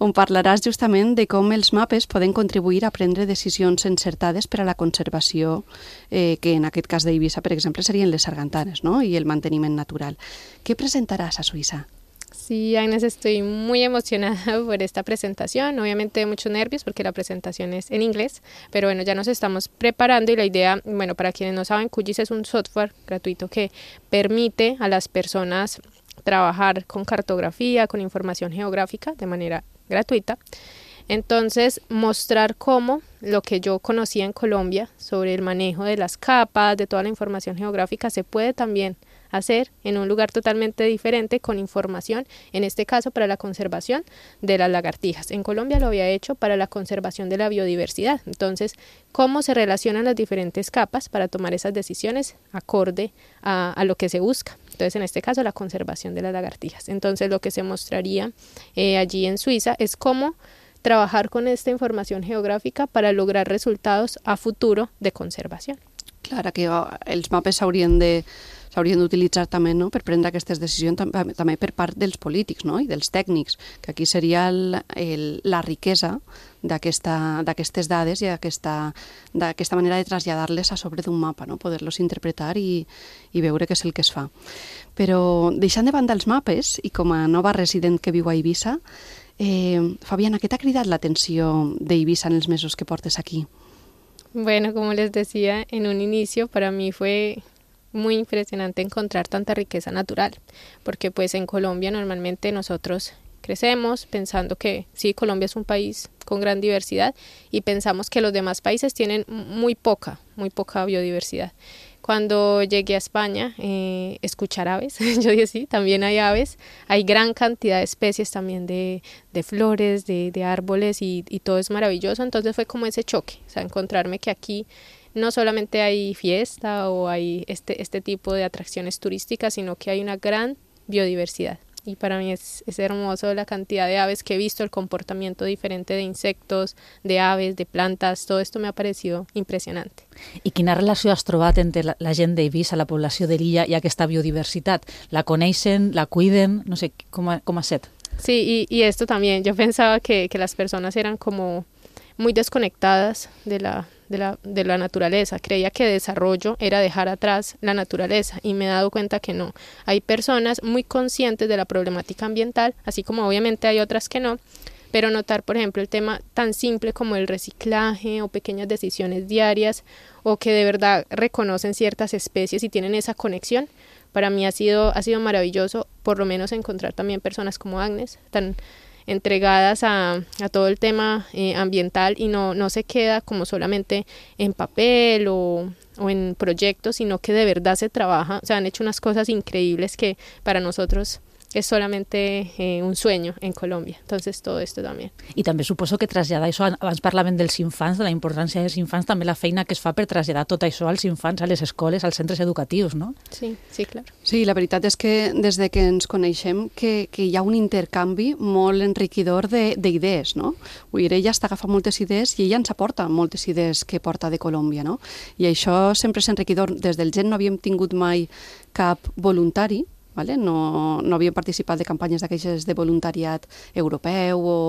On parlaràs justament de com els mapes poden contribuir a prendre decisions encertades per a la conservació eh, que en aquest cas d'Eivissa, per exemple, serien les sargantanes, ¿no? Y el manteniment natural. ¿Qué presentarás a Suiza? Sí, Agnes, estoy muy emocionada por esta presentación, obviamente muchos nervios porque la presentación es en inglés, pero bueno, ya nos estamos preparando y la idea, bueno, para quienes no saben, QGIS es un software gratuito que permite a las personas trabajar con cartografía, con información geográfica de manera gratuita. Entonces, mostrar cómo lo que yo conocía en Colombia sobre el manejo de las capas, de toda la información geográfica, se puede también hacer en un lugar totalmente diferente con información, en este caso para la conservación de las lagartijas. En Colombia lo había hecho para la conservación de la biodiversidad. Entonces, cómo se relacionan las diferentes capas para tomar esas decisiones acorde a, a lo que se busca. Entonces, en este caso, la conservación de las lagartijas. Entonces, lo que se mostraría eh, allí en Suiza es cómo trabajar con esta información geográfica para lograr resultados a futuro de conservación. Clar, que els mapes s'haurien de s'haurien d'utilitzar també, no?, per prendre aquestes decisions tam també per part dels polítics, no?, i dels tècnics, que aquí seria el, el, la riquesa d'aquestes dades i d'aquesta manera de traslladar-les a sobre d'un mapa, no?, poder-los interpretar i, i veure què és el que es fa. Però deixant de banda els mapes, i com a nova resident que viu a Eivissa, Eh, Fabiana, ¿qué te ha cridat l'atenció d'Eivissa en els mesos que portes aquí? Bueno, como les decía en un inicio, para mí fue muy impresionante encontrar tanta riqueza natural, porque pues en Colombia normalmente nosotros crecemos pensando que sí, Colombia es un país con gran diversidad y pensamos que los demás países tienen muy poca, muy poca biodiversidad. Cuando llegué a España, eh, escuchar aves, yo dije sí, también hay aves, hay gran cantidad de especies también de, de flores, de, de árboles y, y todo es maravilloso, entonces fue como ese choque, o sea, encontrarme que aquí no solamente hay fiesta o hay este, este tipo de atracciones turísticas, sino que hay una gran biodiversidad. y para mí es, es hermoso la cantidad de aves que he visto, el comportamiento diferente de insectos, de aves, de plantas, todo esto me ha parecido impressionante. I quina relació has trobat entre la, la gent d'Eivissa, la població de l'illa i aquesta biodiversitat? La coneixen, la cuiden? No sé, com ha, com ha set? Sí, y, y esto también, yo pensaba que, que las personas eran como muy desconectadas de la, de, la, de la naturaleza, creía que desarrollo era dejar atrás la naturaleza y me he dado cuenta que no, hay personas muy conscientes de la problemática ambiental, así como obviamente hay otras que no, pero notar, por ejemplo, el tema tan simple como el reciclaje o pequeñas decisiones diarias o que de verdad reconocen ciertas especies y tienen esa conexión, para mí ha sido, ha sido maravilloso, por lo menos encontrar también personas como Agnes, tan entregadas a, a todo el tema eh, ambiental y no, no se queda como solamente en papel o, o en proyectos, sino que de verdad se trabaja, o sea, han hecho unas cosas increíbles que para nosotros es solamente eh, un sueño en Colombia, entonces todo esto también. I també suposo que traslladar això, abans parlaven dels infants, de la importància dels infants, també la feina que es fa per traslladar tot això als infants, a les escoles, als centres educatius, no? Sí, sí, claro. Sí, la veritat és que des de que ens coneixem que, que hi ha un intercanvi molt enriquidor d'idees, no? Vull dir, ella està agafant moltes idees i ella ens aporta moltes idees que porta de Colòmbia, no? I això sempre és enriquidor. Des del Gent no havíem tingut mai cap voluntari, vale? No, no havíem participat de campanyes d'aquestes de voluntariat europeu o,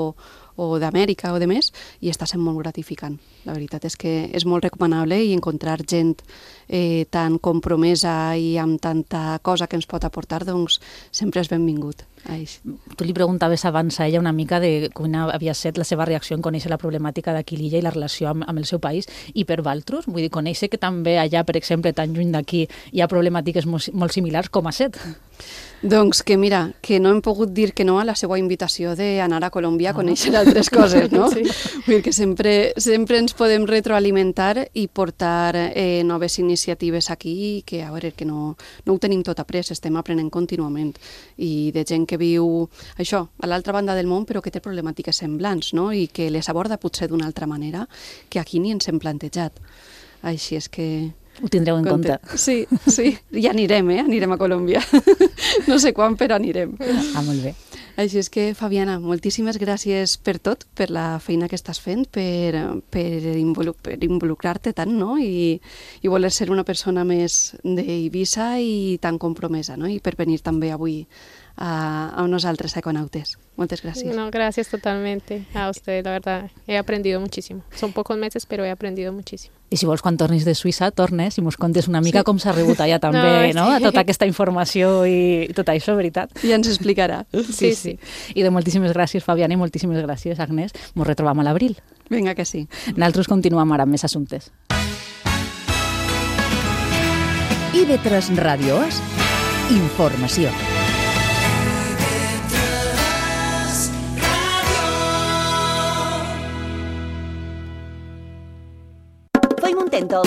o d'Amèrica o de més, i està sent molt gratificant. La veritat és que és molt recomanable i encontrar gent eh, tan compromesa i amb tanta cosa que ens pot aportar, doncs sempre és benvingut. Ai. Tu li preguntaves abans a ella una mica de quina havia estat la seva reacció en conèixer la problemàtica d'aquí l'illa i la relació amb, amb el seu país, i per Valtros, vull dir, conèixer que també allà, per exemple, tan lluny d'aquí, hi ha problemàtiques molt, molt similars, com ha set? Doncs que mira, que no hem pogut dir que no a la seva invitació d'anar a Colòmbia a conèixer altres coses, no? Sí. Vull dir que sempre, sempre ens podem retroalimentar i portar eh, noves iniciatives aquí, que a veure, que no, no ho tenim tot après, estem aprenent contínuament, i de gent que viu això, a l'altra banda del món, però que té problemàtiques semblants, no? I que les aborda potser d'una altra manera que aquí ni ens hem plantejat. Així és que... Ho tindreu en compte. Sí, sí, i anirem, eh? Anirem a Colòmbia. No sé quan, però anirem. Ah, molt bé. Així és que, Fabiana, moltíssimes gràcies per tot, per la feina que estàs fent, per, per, involu per involucrar-te tant, no? I, i voler ser una persona més d'Eivissa i tan compromesa, no? I per venir també avui a, a nosaltres, a Econautes. Muchas gracias. No, gracias totalmente a usted, la verdad. He aprendido muchísimo. Son pocos meses, pero he aprendido muchísimo. I si vols, quan tornis de Suïssa, tornes i mos contes una mica sí. com s'ha rebut allà també, no? no? Sí. Tota aquesta informació i tot això, veritat? Ja ens explicarà. Sí, sí, sí. I de moltíssimes gràcies, Fabiana, i moltíssimes gràcies, Agnès. Mos retrobam a l'abril. Vinga, que sí. Nosaltres continuem ara amb més assumptes. I ve tres Ràdio És informació. Tèntol.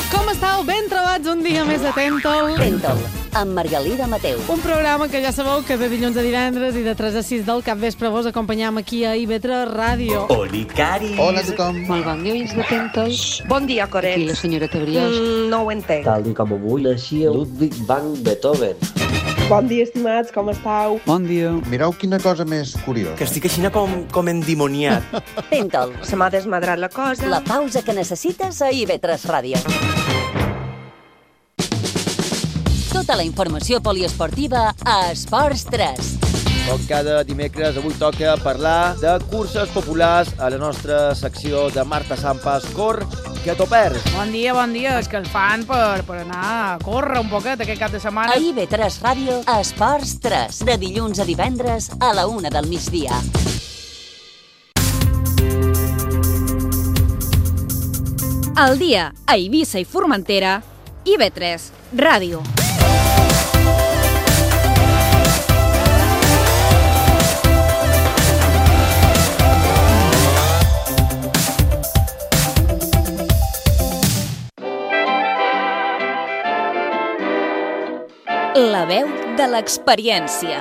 Com estàu? Ben trobats un dia més a Tèntol. Tèntol, amb Margalida Mateu. Un programa que ja sabeu que de dilluns a divendres i de tres a sis del capvespre vos acompanyam aquí a I V tres Ràdio. Olicari. Hola a tothom. Molt bon dia, oients de Tèntol. Bon dia, Coret. Aquí la senyora Tebriós. Mm, no ho entenc. Tal com avui naixia Ludwig van Beethoven. Bon dia, estimats, com estàu? Bon dia. Mireu quina cosa més curiosa. Que estic així com, com endimoniat. Tèntol. Se m'ha desmadrat la cosa. La pausa que necessites a I V tres Ràdio. Tota la informació poliesportiva a Esports tres. Com cada dimecres, avui toca parlar de curses populars a la nostra secció de Marta Sampas Cor, que t'ho perds. Bon dia, bon dia. És que el fan per, per anar a córrer un poquet aquest cap de setmana. A I V tres Ràdio, a Esports tres, de dilluns a divendres a la una del migdia. Al dia, a Eivissa i Formentera, I V tres Ràdio. La veu de l'experiència.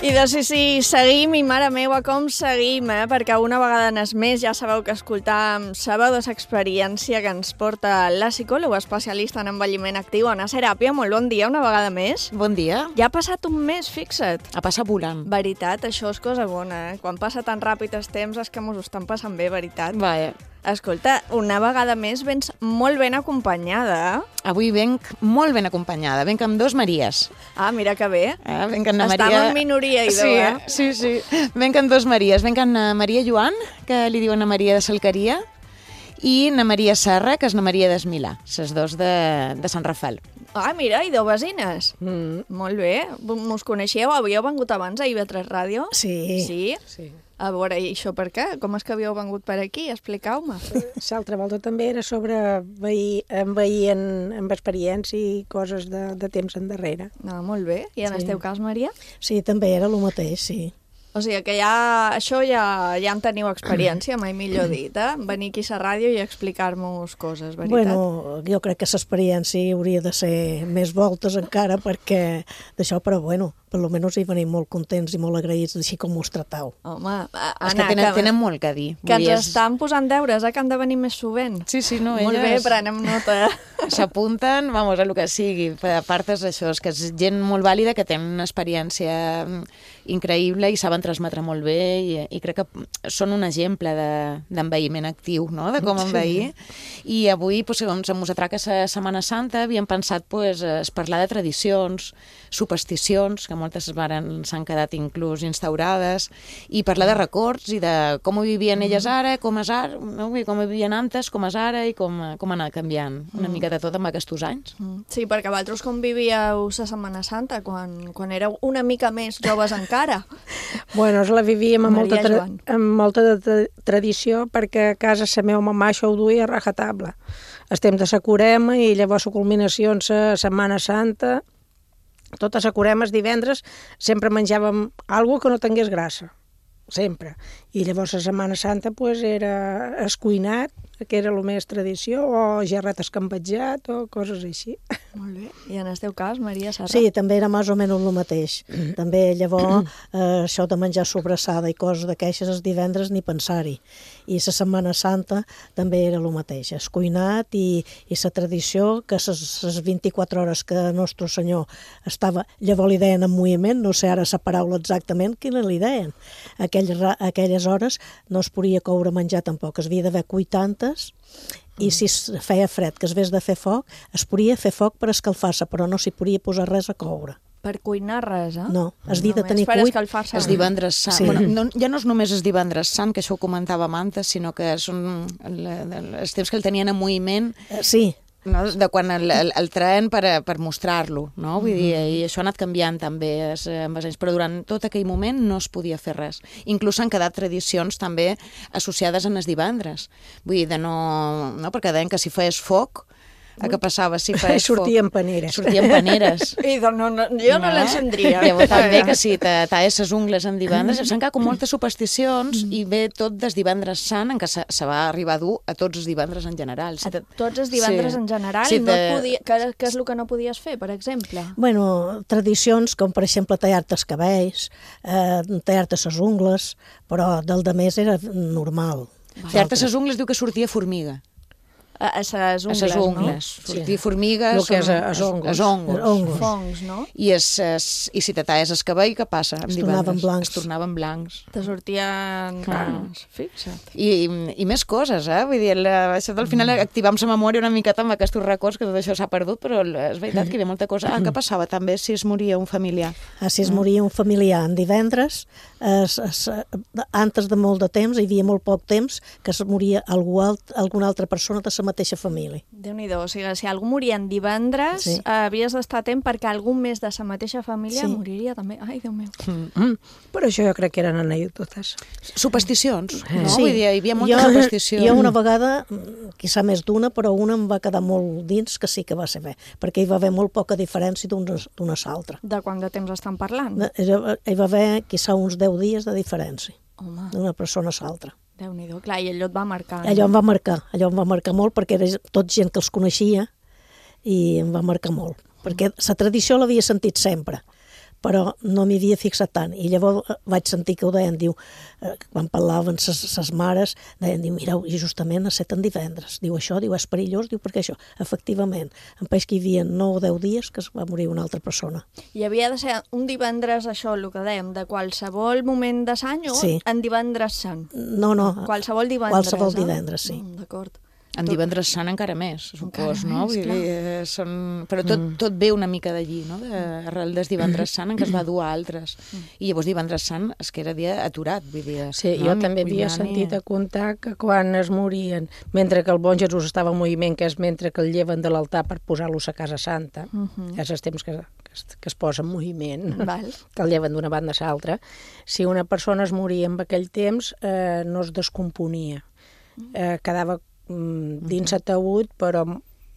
I Déu-n'hi-do, sí, sí, seguim i mare meua com seguim, eh? Perquè una vegada n'és més ja sabeu que escoltàvem Sabados Experiència, que ens porta la psicòloga especialista en envelliment actiu, Anna Seràpia. Molt bon dia, una vegada més. Bon dia. Ja ha passat un mes, fixa't. Ha passat volant. Veritat, això és cosa bona, eh? Quan passa tan ràpid els temps és que mos ho estan passant bé, veritat. Vaja. Escolta, una vegada més vens molt ben acompanyada. Avui venc molt ben acompanyada. Venc amb dos Maries. Ah, mira que bé. Eh, venc amb Estam Maria... en minoria, idò, sí, eh? Sí, sí. Venc amb dos Maries. Venc amb Maria Joan, que li diuen a Maria de Salcaria, i na Maria Serra, que és na Maria d'Esmilà, les dos de, de Sant Rafael. Ah, mira, i deu vecines. Mm. Molt bé. Mos coneixeu? Havíeu vengut abans a I V tres Ràdio? Sí. Sí? Sí. A veure, i això per què? Com és que havíeu vengut per aquí? Expliqueu-me. L'altra volta també era sobre veir, envair en, amb experiència i coses de, de temps endarrere. No, molt bé. I en sí. el teu cas, Maria? Sí, també era el mateix, sí. O sigui que ja, això ja, ja en teniu experiència, mai millor dit, eh? Venir aquí a la ràdio i explicar-nos coses, veritat? Bueno, jo crec que l'experiència hauria de ser més voltes encara perquè d'això, però bueno, per almenys hi venim molt contents i molt agraïts d'així com us tratau. Home, Anna, és que tenen, tenen molt que dir. Que ens és... estan posant deures, eh? Que han de venir més sovint. Sí, sí, no, molt elles... bé, prenem nota. S'apunten, vamos, a lo que sigui. A part és això, és que és gent molt vàlida que té una experiència increïble i saben transmetre molt bé i, i crec que són un exemple d'enveïment de, actiu, no?, de com enveir. Sí. I avui, pues, com se mos atraca la Setmana Santa, havíem pensat pues, es parlar de tradicions, supersticions, que moltes s'han quedat inclús instaurades, i parlar de records i de com ho vivien elles ara, com és ara, no? Com ho vivien antes, com és ara i com, com ha anat canviant una mm. mica de tot amb aquests anys. Mm. Sí, perquè vosaltres com vivíeu la Setmana Santa quan, quan éreu una mica més joves encara? Bueno, la vivíem amb molta, tra amb molta tra tradició perquè a casa la meva mamà això ho duia a rajatabla. Estem de la Corema i llavors la culminació en la Setmana Santa. Tota la Corema els divendres sempre menjàvem alguna que no tingués grassa, sempre. I llavors la Setmana Santa pues, era escuinat, que era el més tradició, o gerret escampatjat, o coses així. Molt bé. I en el teu cas, Maria Serra? Sí, també era més o menys el mateix. També llavors eh, això de menjar sobrassada i coses d'aquestes els divendres ni pensar-hi. I la Setmana Santa també era el mateix, escuinat i, i la tradició que les vint-i-quatre hores que Nostre Senyor estava, llavors li deien en moviment, no sé ara la paraula exactament quina li deien. Aquelles, aquelles hores no es podia coure menjar tampoc, es havia d'haver cuit tantes i si feia fred, que es vés de fer foc, es podia fer foc per escalfar-se, però no s'hi podia posar res a coure. Per cuinar res, eh? No, es havia de tenir cuit. És divendres sant. Sí. Bueno, no, ja no és només el divendres sant, que això ho comentàvem antes, sinó que són els temps que el tenien en moviment. Sí. No? De quan el, el, el traen per, per mostrar-lo, no? Vull dir, i això ha anat canviant també es, amb els anys, però durant tot aquell moment no es podia fer res. Inclús han quedat tradicions també associades en els divendres. Vull dir, de no... no? Perquè deien que si feies foc, a què passava si feies foc? Sortien paneres. Sortien paneres. I no, no, jo no, no l'encendria. Llavors també que si talles les ungles en divendres, s'han quedat com moltes supersticions i ve tot des divendres sant, en què se, se va arribar a dur a tots els divendres en general. Si te... Tots els divendres sí. en general? Sí, no te... podia... Què és el que no podies fer, per exemple? Bueno, tradicions com, per exemple, tallar-te els cabells, eh, tallar-te les ungles, però del de més era normal. Tallar-te les ungles diu que sortia formiga. A les ungles, a les ungles, no? Sortir sí. formigues... El que és a ongles. A ongles. Fongs, no? I, es, es, i si te talles el cabell, què passa? Es tornaven blancs. Es tornaven blancs. Te sortien canes, fixa't. I, i, I més coses, eh? Vull dir, la, això al final activam la memòria una miqueta amb aquests records, que tot això s'ha perdut, però és veritat que hi havia molta cosa. Ah, què passava també si es moria un familiar? Ah, si es moria un familiar en divendres, es, es, antes de molt de temps, hi havia molt poc temps, que es moria algú alt, alguna altra persona de la mateixa família. Déu-n'hi-do, o sigui, si algú moria en divendres, sí. eh, havies d'estar atent perquè algú més de la mateixa família sí. moriria també. Ai, Déu meu. Mm. Però això jo crec que eren anècdotes. Supersticions, no? Sí. Vull dir, hi havia molta jo, superstició. Jo una vegada, quizà més d'una, però una em va quedar molt dins que sí que va ser bé, perquè hi va haver molt poca diferència d'una a l'altra. De quant de temps estan parlant? Hi va haver, quizà, uns deu dies de diferència d'una persona a l'altra. Déu-n'hi-do, clar, i allò et va marcar. Allò em va marcar, allò em va marcar molt perquè era tot gent que els coneixia i em va marcar molt. Perquè la tradició l'havia sentit sempre, però no m'hi havia fixat tant. I llavors vaig sentir que ho deien, diu, eh, quan parlaven ses mares, deien, diu, mireu, i justament a set en divendres. Diu, això, diu, és perillós, diu, perquè això, efectivament, en país que hi havia nou o deu dies que es va morir una altra persona. I havia de ser un divendres, això, el que dèiem, de qualsevol moment de l'any o sí. en divendres sant? No, no. Qualsevol divendres. Qualsevol divendres, sí. Mm, d'acord. En divendres sant encara més, supos, no? Més, Vull dir, eh, són... Però tot, Mm. tot ve una mica d'allí, no? De, arrel des divendres sant en què es va dur a altres. I llavors divendres sant és que era dia aturat, vull dir... Sí, no? jo també havia sentit a comptar que quan es morien, mentre que el bon Jesús estava en moviment, que és mentre que el lleven de l'altar per posar-los a Casa Santa, uh -huh. és el temps que, que, es, que es posa en moviment, Val. que el lleven d'una banda a l'altra, si una persona es moria en aquell temps, eh, no es descomponia. Eh, quedava dins ataúd, però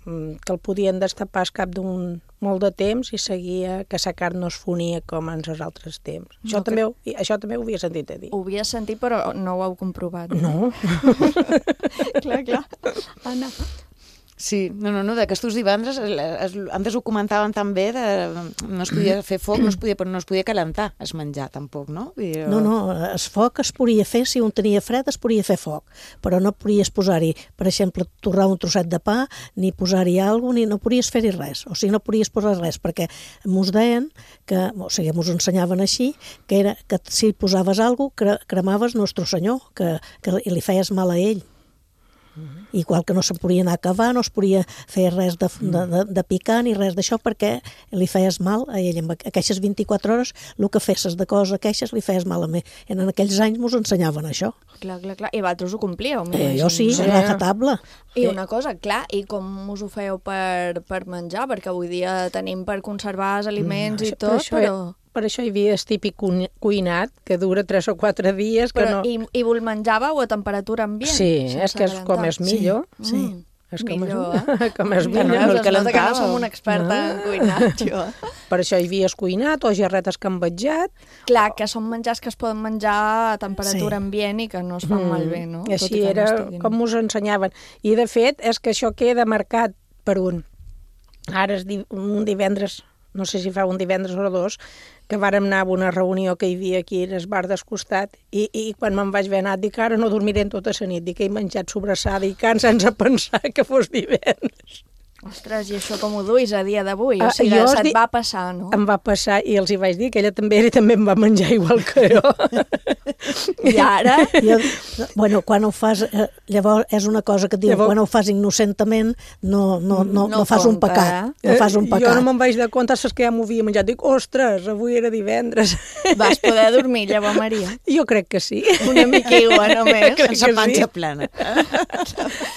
que el podien destapar al cap d'un molt de temps i seguia que sa carn no es fonia com en els altres temps. Això, No, també, ho- això també ho havia sentit a dir. Ho havia sentit, però no ho heu comprovat. No. clar, clar. Anna. Sí, no, no, no, d'aquestos divendres, es, antes ho comentaven també, de, no es podia fer foc, no es podia, però no es podia calentar es menjar, tampoc, no? Vull dir, No, no, el foc es podia fer, si un tenia fred es podia fer foc, però no podies posar-hi, per exemple, torrar un trosset de pa, ni posar-hi alguna cosa, ni no podies fer-hi res, o sigui, no podies posar res, perquè mos deien, que, o sigui, mos ensenyaven així, que era que si posaves alguna cosa, cremaves Nostre Senyor, que, que li feies mal a ell. Igual que no se podia anar a cavar, no es podia fer res de, de, de, de picar ni res d'això perquè li feies mal a ell. En aquestes vint-i-quatre hores el que fessis de coses aquestes li feies mal a mi. En aquells anys mos ensenyaven això. Clar, clar, clar. I vosaltres ho complíeu, Eh, jo sí, a rajatabla. I una cosa, clar, i com us ho feu per, per menjar? Perquè avui dia tenim per conservar els aliments Mm, i això- tot, per això, però... Per això hi havia el típic cuin- cuinat, que dura tres o quatre dies. Que però no... i, I vos menjàveu a temperatura ambient? Sí, sense és que és com calentar? és millor. Sí, sí. És com millor, és, eh? com és Ja millor. no, es nota que no som una experta en cuinat, jo. Per això hi havia el cuinat o gerretes que han vetjat. Clar, que són menjars que es poden menjar a temperatura Sí. ambient i que no es fan malbé, no? I Tot així que era no estiguin- com us ensenyaven. I de fet és que això queda marcat per un. Ara és di- un divendres, no sé si fa un divendres o dos, que vàrem anar a una reunió que hi havia aquí al bar del costat i, i quan me'n vaig haver anat dic ara no dormiré en tota la nit, dic que he menjat sobrassada i can sense pensar que fos divendres. Ostres, i això com ho duis a dia d'avui? O Ah, sigui, jo us se't dic- va passar, no? Em va passar i els hi vaig dir que ella també, ella també em va menjar igual que jo. I ara? Jo, bueno, quan ho fas, eh, llavors és una cosa que et diu, Llavors- quan ho fas innocentament no, no, no, no, No fas un compta, pecat. Eh? No fas un Jo pecat. no me'n vaig de compte, saps que ja m'ho havia menjat. Dic, ostres, avui era divendres. Vas poder dormir, llavors, Maria? Jo crec que sí. Una miquigua, només. Crec que sense panxa sí. plana.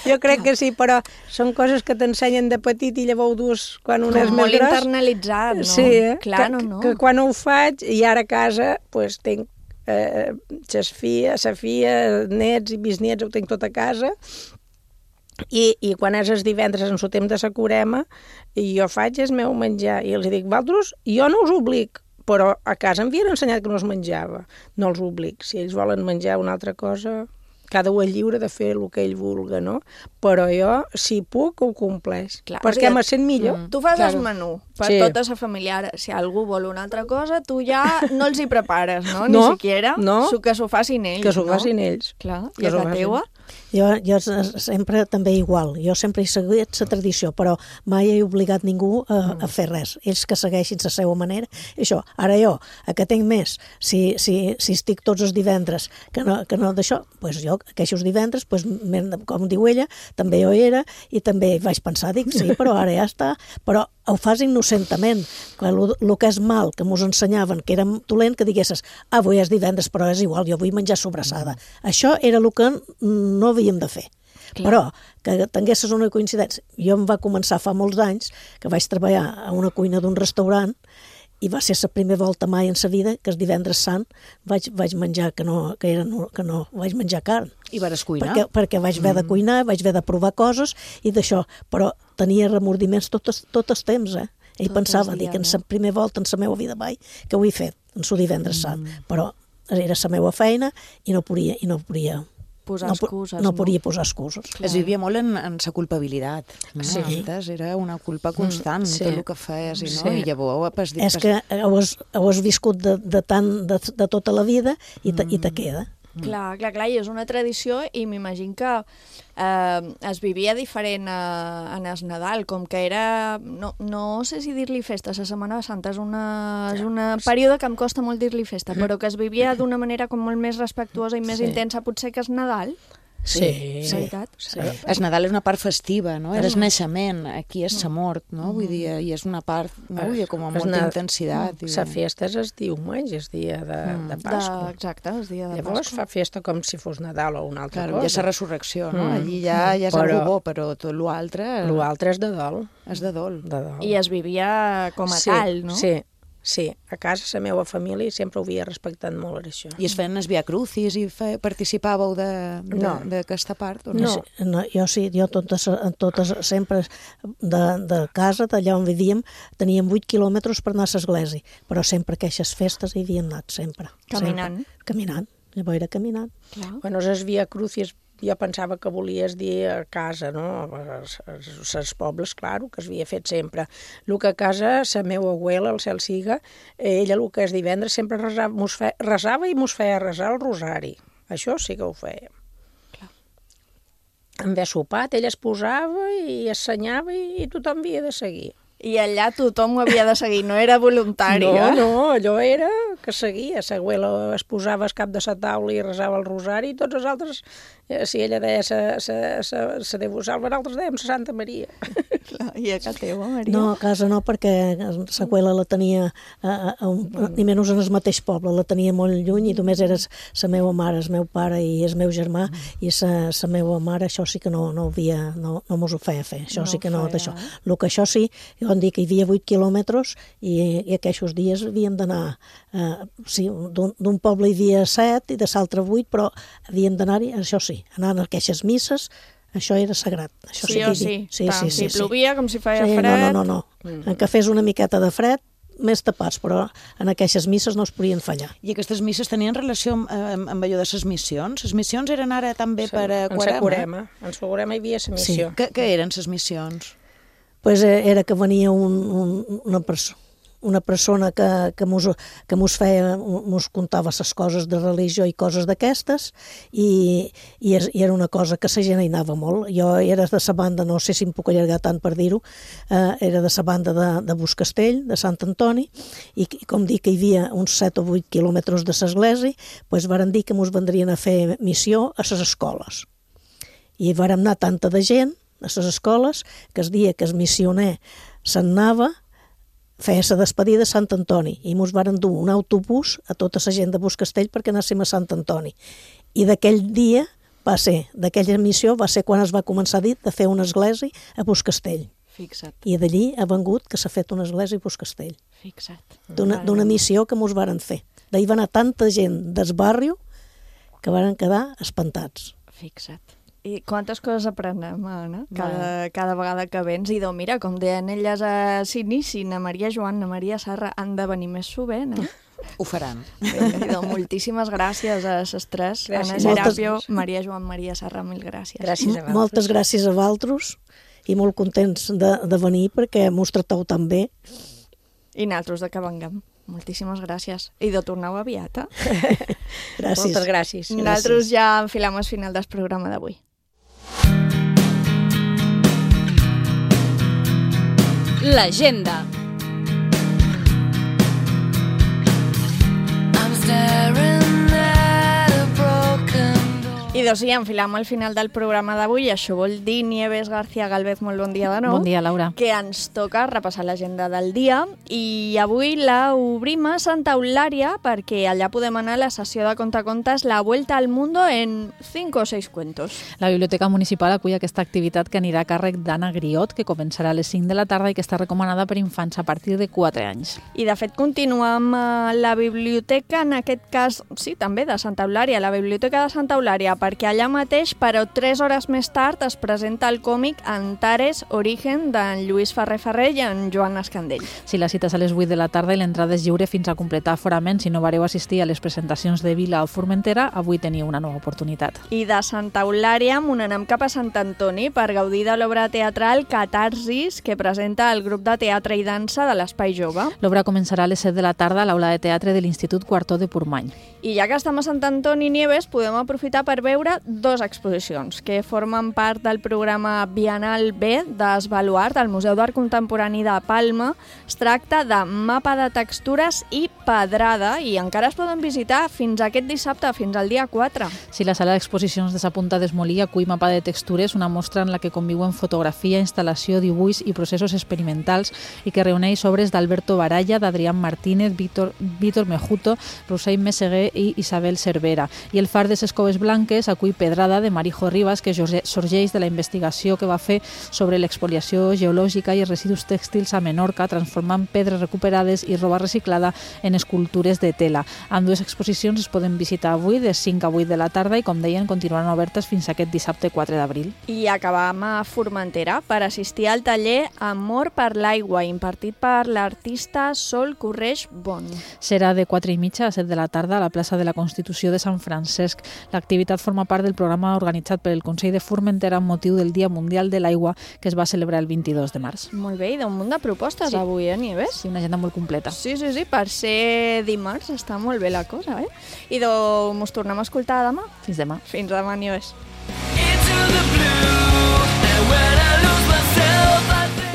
Jo crec que sí, però són coses que t'ensenyen de petit i llavors ho dus quan un Com és més molt gros. internalitzat, no? Sí, eh? Clar, que, no, no. Que, que quan ho faig, i ara a casa, pues, tinc eh, ses filles, sa filla, nets i bisnets, ho tinc tot a casa, i, i quan és els divendres en el temps de la curema, i jo faig el meu menjar, i els dic, vosaltres, jo no us oblic, però a casa em havien ensenyat que no es menjava. No els oblic. Si ells volen menjar una altra cosa, cada un és lliure de fer el que ell vulga, no? Però jo, si puc, ho compleix. Clar, perquè o sigui, me sent millor. Tu fas Claro. el menú per Sí. tota la família. Si algú vol una altra cosa, tu ja no els hi prepares, no? Ni No, siquiera. no. Que s'ho facin ells, Que s'ho no? facin ells. Clar, Que i a s'ho la facin. teua? Jo, jo sempre també igual, jo sempre he seguit la tradició, però mai he obligat ningú a, a fer res. Ells que segueixin la seva manera. I això, ara jo, a que tinc més, si, si, si estic tots els divendres que no, que no d'això, doncs jo aquells divendres, doncs, com diu ella, també jo hi era i també vaig pensar, dic, sí, però ara ja està, però ho fas innocentament, el que és mal, que mos ensenyaven que era dolent, que diguessis, ah, avui és divendres, però és igual, jo vull menjar sobrassada. Mm. Això era el que no havíem de fer. Clar. Però que tinguessis una coincidència. Jo em va començar fa molts anys, que vaig treballar a una cuina d'un restaurant, i va ser la primera volta mai en sa vida que el divendres sant vaig, vaig menjar, que no, que, era, no, que no vaig menjar carn. I vas cuinar? Perquè, perquè vaig haver de cuinar, vaig haver de provar coses i d'això, però tenia remordiments tot, tot el temps, eh? Ell Tot pensava, el dic, dia, en no? la primera volta en la meva vida mai, que ho he fet, en el divendres sant, però era la meva feina i no podia, i no podia posar no, excuses. no podia posar excuses. Es vivia molt en, en sa culpabilitat. No? Sí. Antes era una culpa constant, Mm, sí. tot el que feies, i, no? Sí. I llavors... Pues, És que ho has, ho has viscut de, de, tant, de, de tota la vida i te, mm. i te queda. Clar, clar, clar, i és una tradició i m'imagino que eh, es vivia diferent a, en el Nadal, com que era, no, no sé si dir-li festa, la Setmana Santa és una, és una període que em costa molt dir-li festa, però que es vivia d'una manera com molt més respectuosa i més Sí. intensa potser que és Nadal. Sí, sí. Veritat? sí. El Nadal és una part festiva, no? Era el naixement, aquí és la mort, no? Vull dir, i és una part, no? Vull dir, com amb molta intensitat. La festa és el diumenge, és dia de, Mm. de Pasqua. De, exacte, és dia de Llavors Pasqua. fa festa com si fos Nadal o una altra Claro, cosa. ja és la resurrecció, no? Mm. Allí ja, ja és Però- algo bo, però tot l'altre... L'altre és de dol. És de dol. De dol. I es vivia com a sí, tal, no? Sí, sí. A casa, la meva família sempre ho havia respectat molt, això. I es feien els Via Crucis i fe, participàveu d'aquesta part? O no? No. no, jo sí, jo totes, totes sempre de, de casa, d'allà on vivíem, teníem vuit quilòmetres per anar a l'església, però sempre aquestes festes hi havíem anat, sempre. Caminant. Sempre. Caminant, llavors era caminant. Clar. Bueno, es Via Crucis jo pensava que volies dir a casa, no? Els pobles, claro, que es havia fet sempre. El que a casa, la meva abuela, el cel siga, ella el que és divendres sempre resava, mos fe, resava i mos feia resar el rosari. Això sí que ho feia. En haver sopat, ella es posava i assenyava i, i tothom havia de seguir. I allà tothom ho havia de seguir, no era voluntari, no, eh? No, allò era que seguia. La abuela es posava al cap de la taula i resava el rosari, i tots els altres, si ella deia se Déu vos salva, nosaltres dèiem la Santa Maria. I a casa teva, Maria? No, a casa no, perquè l'abuela la tenia, a, a un, ni menys en el mateix poble, la tenia molt lluny i només era la meva mare, el meu pare i el meu germà, i la meva mare, això sí que no, no, havia, no, no mos ho feia fer, això No sí que no, feia, d'això. El que això sí, vam dir que hi havia vuit quilòmetres i, i aquests dies havíem d'anar, eh, sí, d'un poble hi havia set i de l'altre vuit, però havíem d'anar-hi, això sí, anar a aquestes misses, això era sagrat. Això Sí o sí, sí, tant, sí, sí, si plovia com si feia sí, fred. No, no, no, no. En que fes una miqueta de fred, més tapats, però en aquestes misses no es podien fallar. I aquestes misses tenien relació amb, amb, amb allò de les missions? Les missions eren ara també Sí, per a en sa Quarema. En sa Quarema hi havia la missió. Sí. Què, què eren les missions? Pues era que venia un, un, una persona una persona que, que, mos, que mos feia, mos contava les coses de religió i coses d'aquestes, i, i, és, i era una cosa que la gent hi anava molt. Jo era de la banda, no sé si em puc allargar tant per dir-ho, eh, era de la banda de, de Buscastell, de Sant Antoni, i, i com dic que hi havia uns set o vuit quilòmetres de l'església, pues varen dir que mos vendrien a fer missió a les escoles. I vàrem anar tanta de gent a les escoles que el dia que el missioner se'n anava, feia la despedida a Sant Antoni i mos varen dur un autobús a tota la gent de Buscastell perquè anàssim a Sant Antoni. I d'aquell dia va ser, d'aquella missió va ser quan es va començar a dir de fer una església a Buscastell. Fixa't. I d'allí ha vengut que s'ha fet una església a Buscastell. Fixa't. D'una missió que mos varen fer. D'ahir va anar tanta gent del barri que varen quedar espantats. Fixa't. I quantes coses aprenem, Anna, cada, cada vegada que vens. I doncs, mira, com deien elles a s'inici, na Maria Joan, na Maria Serra, han de venir més sovint, eh? Ho faran. Bé, i doncs, moltíssimes gràcies a les tres. Anna Gràcies. Serapio, Moltes- Maria Joan, Maria Serra, mil gràcies. Gràcies a vosaltres. Moltes gràcies a vosaltres i molt contents de, de venir perquè mos tracteu tan bé. I nosaltres de que venguem. Moltíssimes gràcies. I de torneu aviat, eh? Gràcies. Moltes gràcies. Nosaltres ja enfilem el final del programa d'avui. L'agenda. I doncs sí, enfilam al final del programa d'avui. Això vol dir, Nieves García Galvez, molt bon dia de nou. Bon dia, Laura. Que ens toca repassar l'agenda del dia. I avui la obrim a Santa Eulària perquè allà podem anar a la sessió de contacontes La Vuelta al Mundo en cinco o seis cuentos. La Biblioteca Municipal acull aquesta activitat que anirà a càrrec d'Anna Griot, que començarà a les cinc de la tarda i que està recomanada per infants a partir de quatre anys. I de fet continuem a la biblioteca, en aquest cas, sí, també de Santa Eulària, la Biblioteca de Santa Eulària, perquè allà mateix, però tres hores més tard, es presenta el còmic Antares Origen d'en Lluís Ferrer Ferrer i en Joan Escandell. Sí, la cita és a les vuit de la tarda i l'entrada és lliure fins a completar aforament. Si no vareu assistir a les presentacions de Vila o Formentera, avui teniu una nova oportunitat. I de Santa Eulària m'anem cap a Sant Antoni per gaudir de l'obra teatral Catarsis, que presenta el grup de teatre i dansa de l'Espai Jove. L'obra començarà a les set de la tarda a l'aula de teatre de l'Institut Quartó de Portmany. I ja que estem a Sant Antoni Nieves, podem aprofitar per veure dues exposicions que formen part del programa Bienal B d'Esbaluart al Museu d'Art Contemporani de Palma. Es tracta de Mapa de textures i pedrada i encara es poden visitar fins aquest dissabte, fins al dia quatre. Sí, la sala d'exposicions de Sa Punta d'Esmolí acull Mapa de textures, una mostra en la que conviuen fotografia, instal·lació, dibuix i processos experimentals i que reuneix obres d'Alberto Baralla, d'Adrián Martínez, Víctor, Víctor Mejuto, Rossell Meseguer i Isabel Cervera. I el Far de ses Coves Blanques acull Pedrada de Marijo Ribas, que sorgeix de la investigació que va fer sobre l'expoliació geològica i els residus tèxtils a Menorca, transformant pedres recuperades i roba reciclada en escultures de tela. Amb dues exposicions es poden visitar avui de cinc a vuit de la tarda i, com deien, continuaran obertes fins aquest dissabte quatre d'abril. I acabam a Formentera per assistir al taller Amor per l'aigua, impartit per l'artista Sol Correix Bon. Serà de quatre i mitja a set de la tarda a la plaça de la Constitució de Sant Francesc. L'activitat forma part del programa organitzat pel Consell de Formentera amb motiu del Dia Mundial de l'Aigua, que es va celebrar el vint-i-dos de març. Molt bé, i d'un munt de propostes sí. avui, eh, Nieves? Sí, una agenda molt completa. Sí, sí, sí, per ser dimarts està molt bé la cosa, eh? I doncs mos tornem a escoltar demà. Fins demà. Fins demà, Nieves.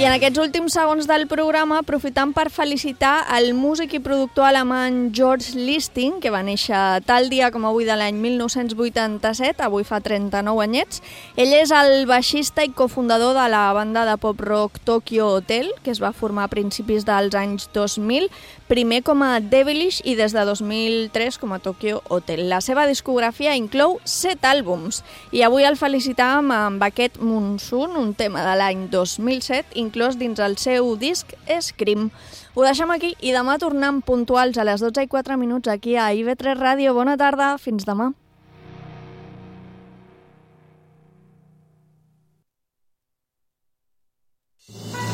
I en aquests últims segons del programa aprofitam per felicitar el músic i productor alemany George Listing, que va néixer tal dia com avui de l'any mil nou-cents vuitanta-set, avui fa trenta-nou anyets. Ell és el baixista i cofundador de la banda de pop-rock Tokyo Hotel, que es va formar a principis dels anys dos mil, primer com a Devilish i des de dos mil tres com a Tokyo Hotel. La seva discografia inclou set àlbums i avui el felicitàvem amb aquest Monsoon, un tema de l'any dos mil set, inclòs dins el seu disc Scream. Ho deixem aquí i demà tornem puntuals a les dotze i quatre minuts aquí a I V tres Ràdio. Bona tarda, fins demà.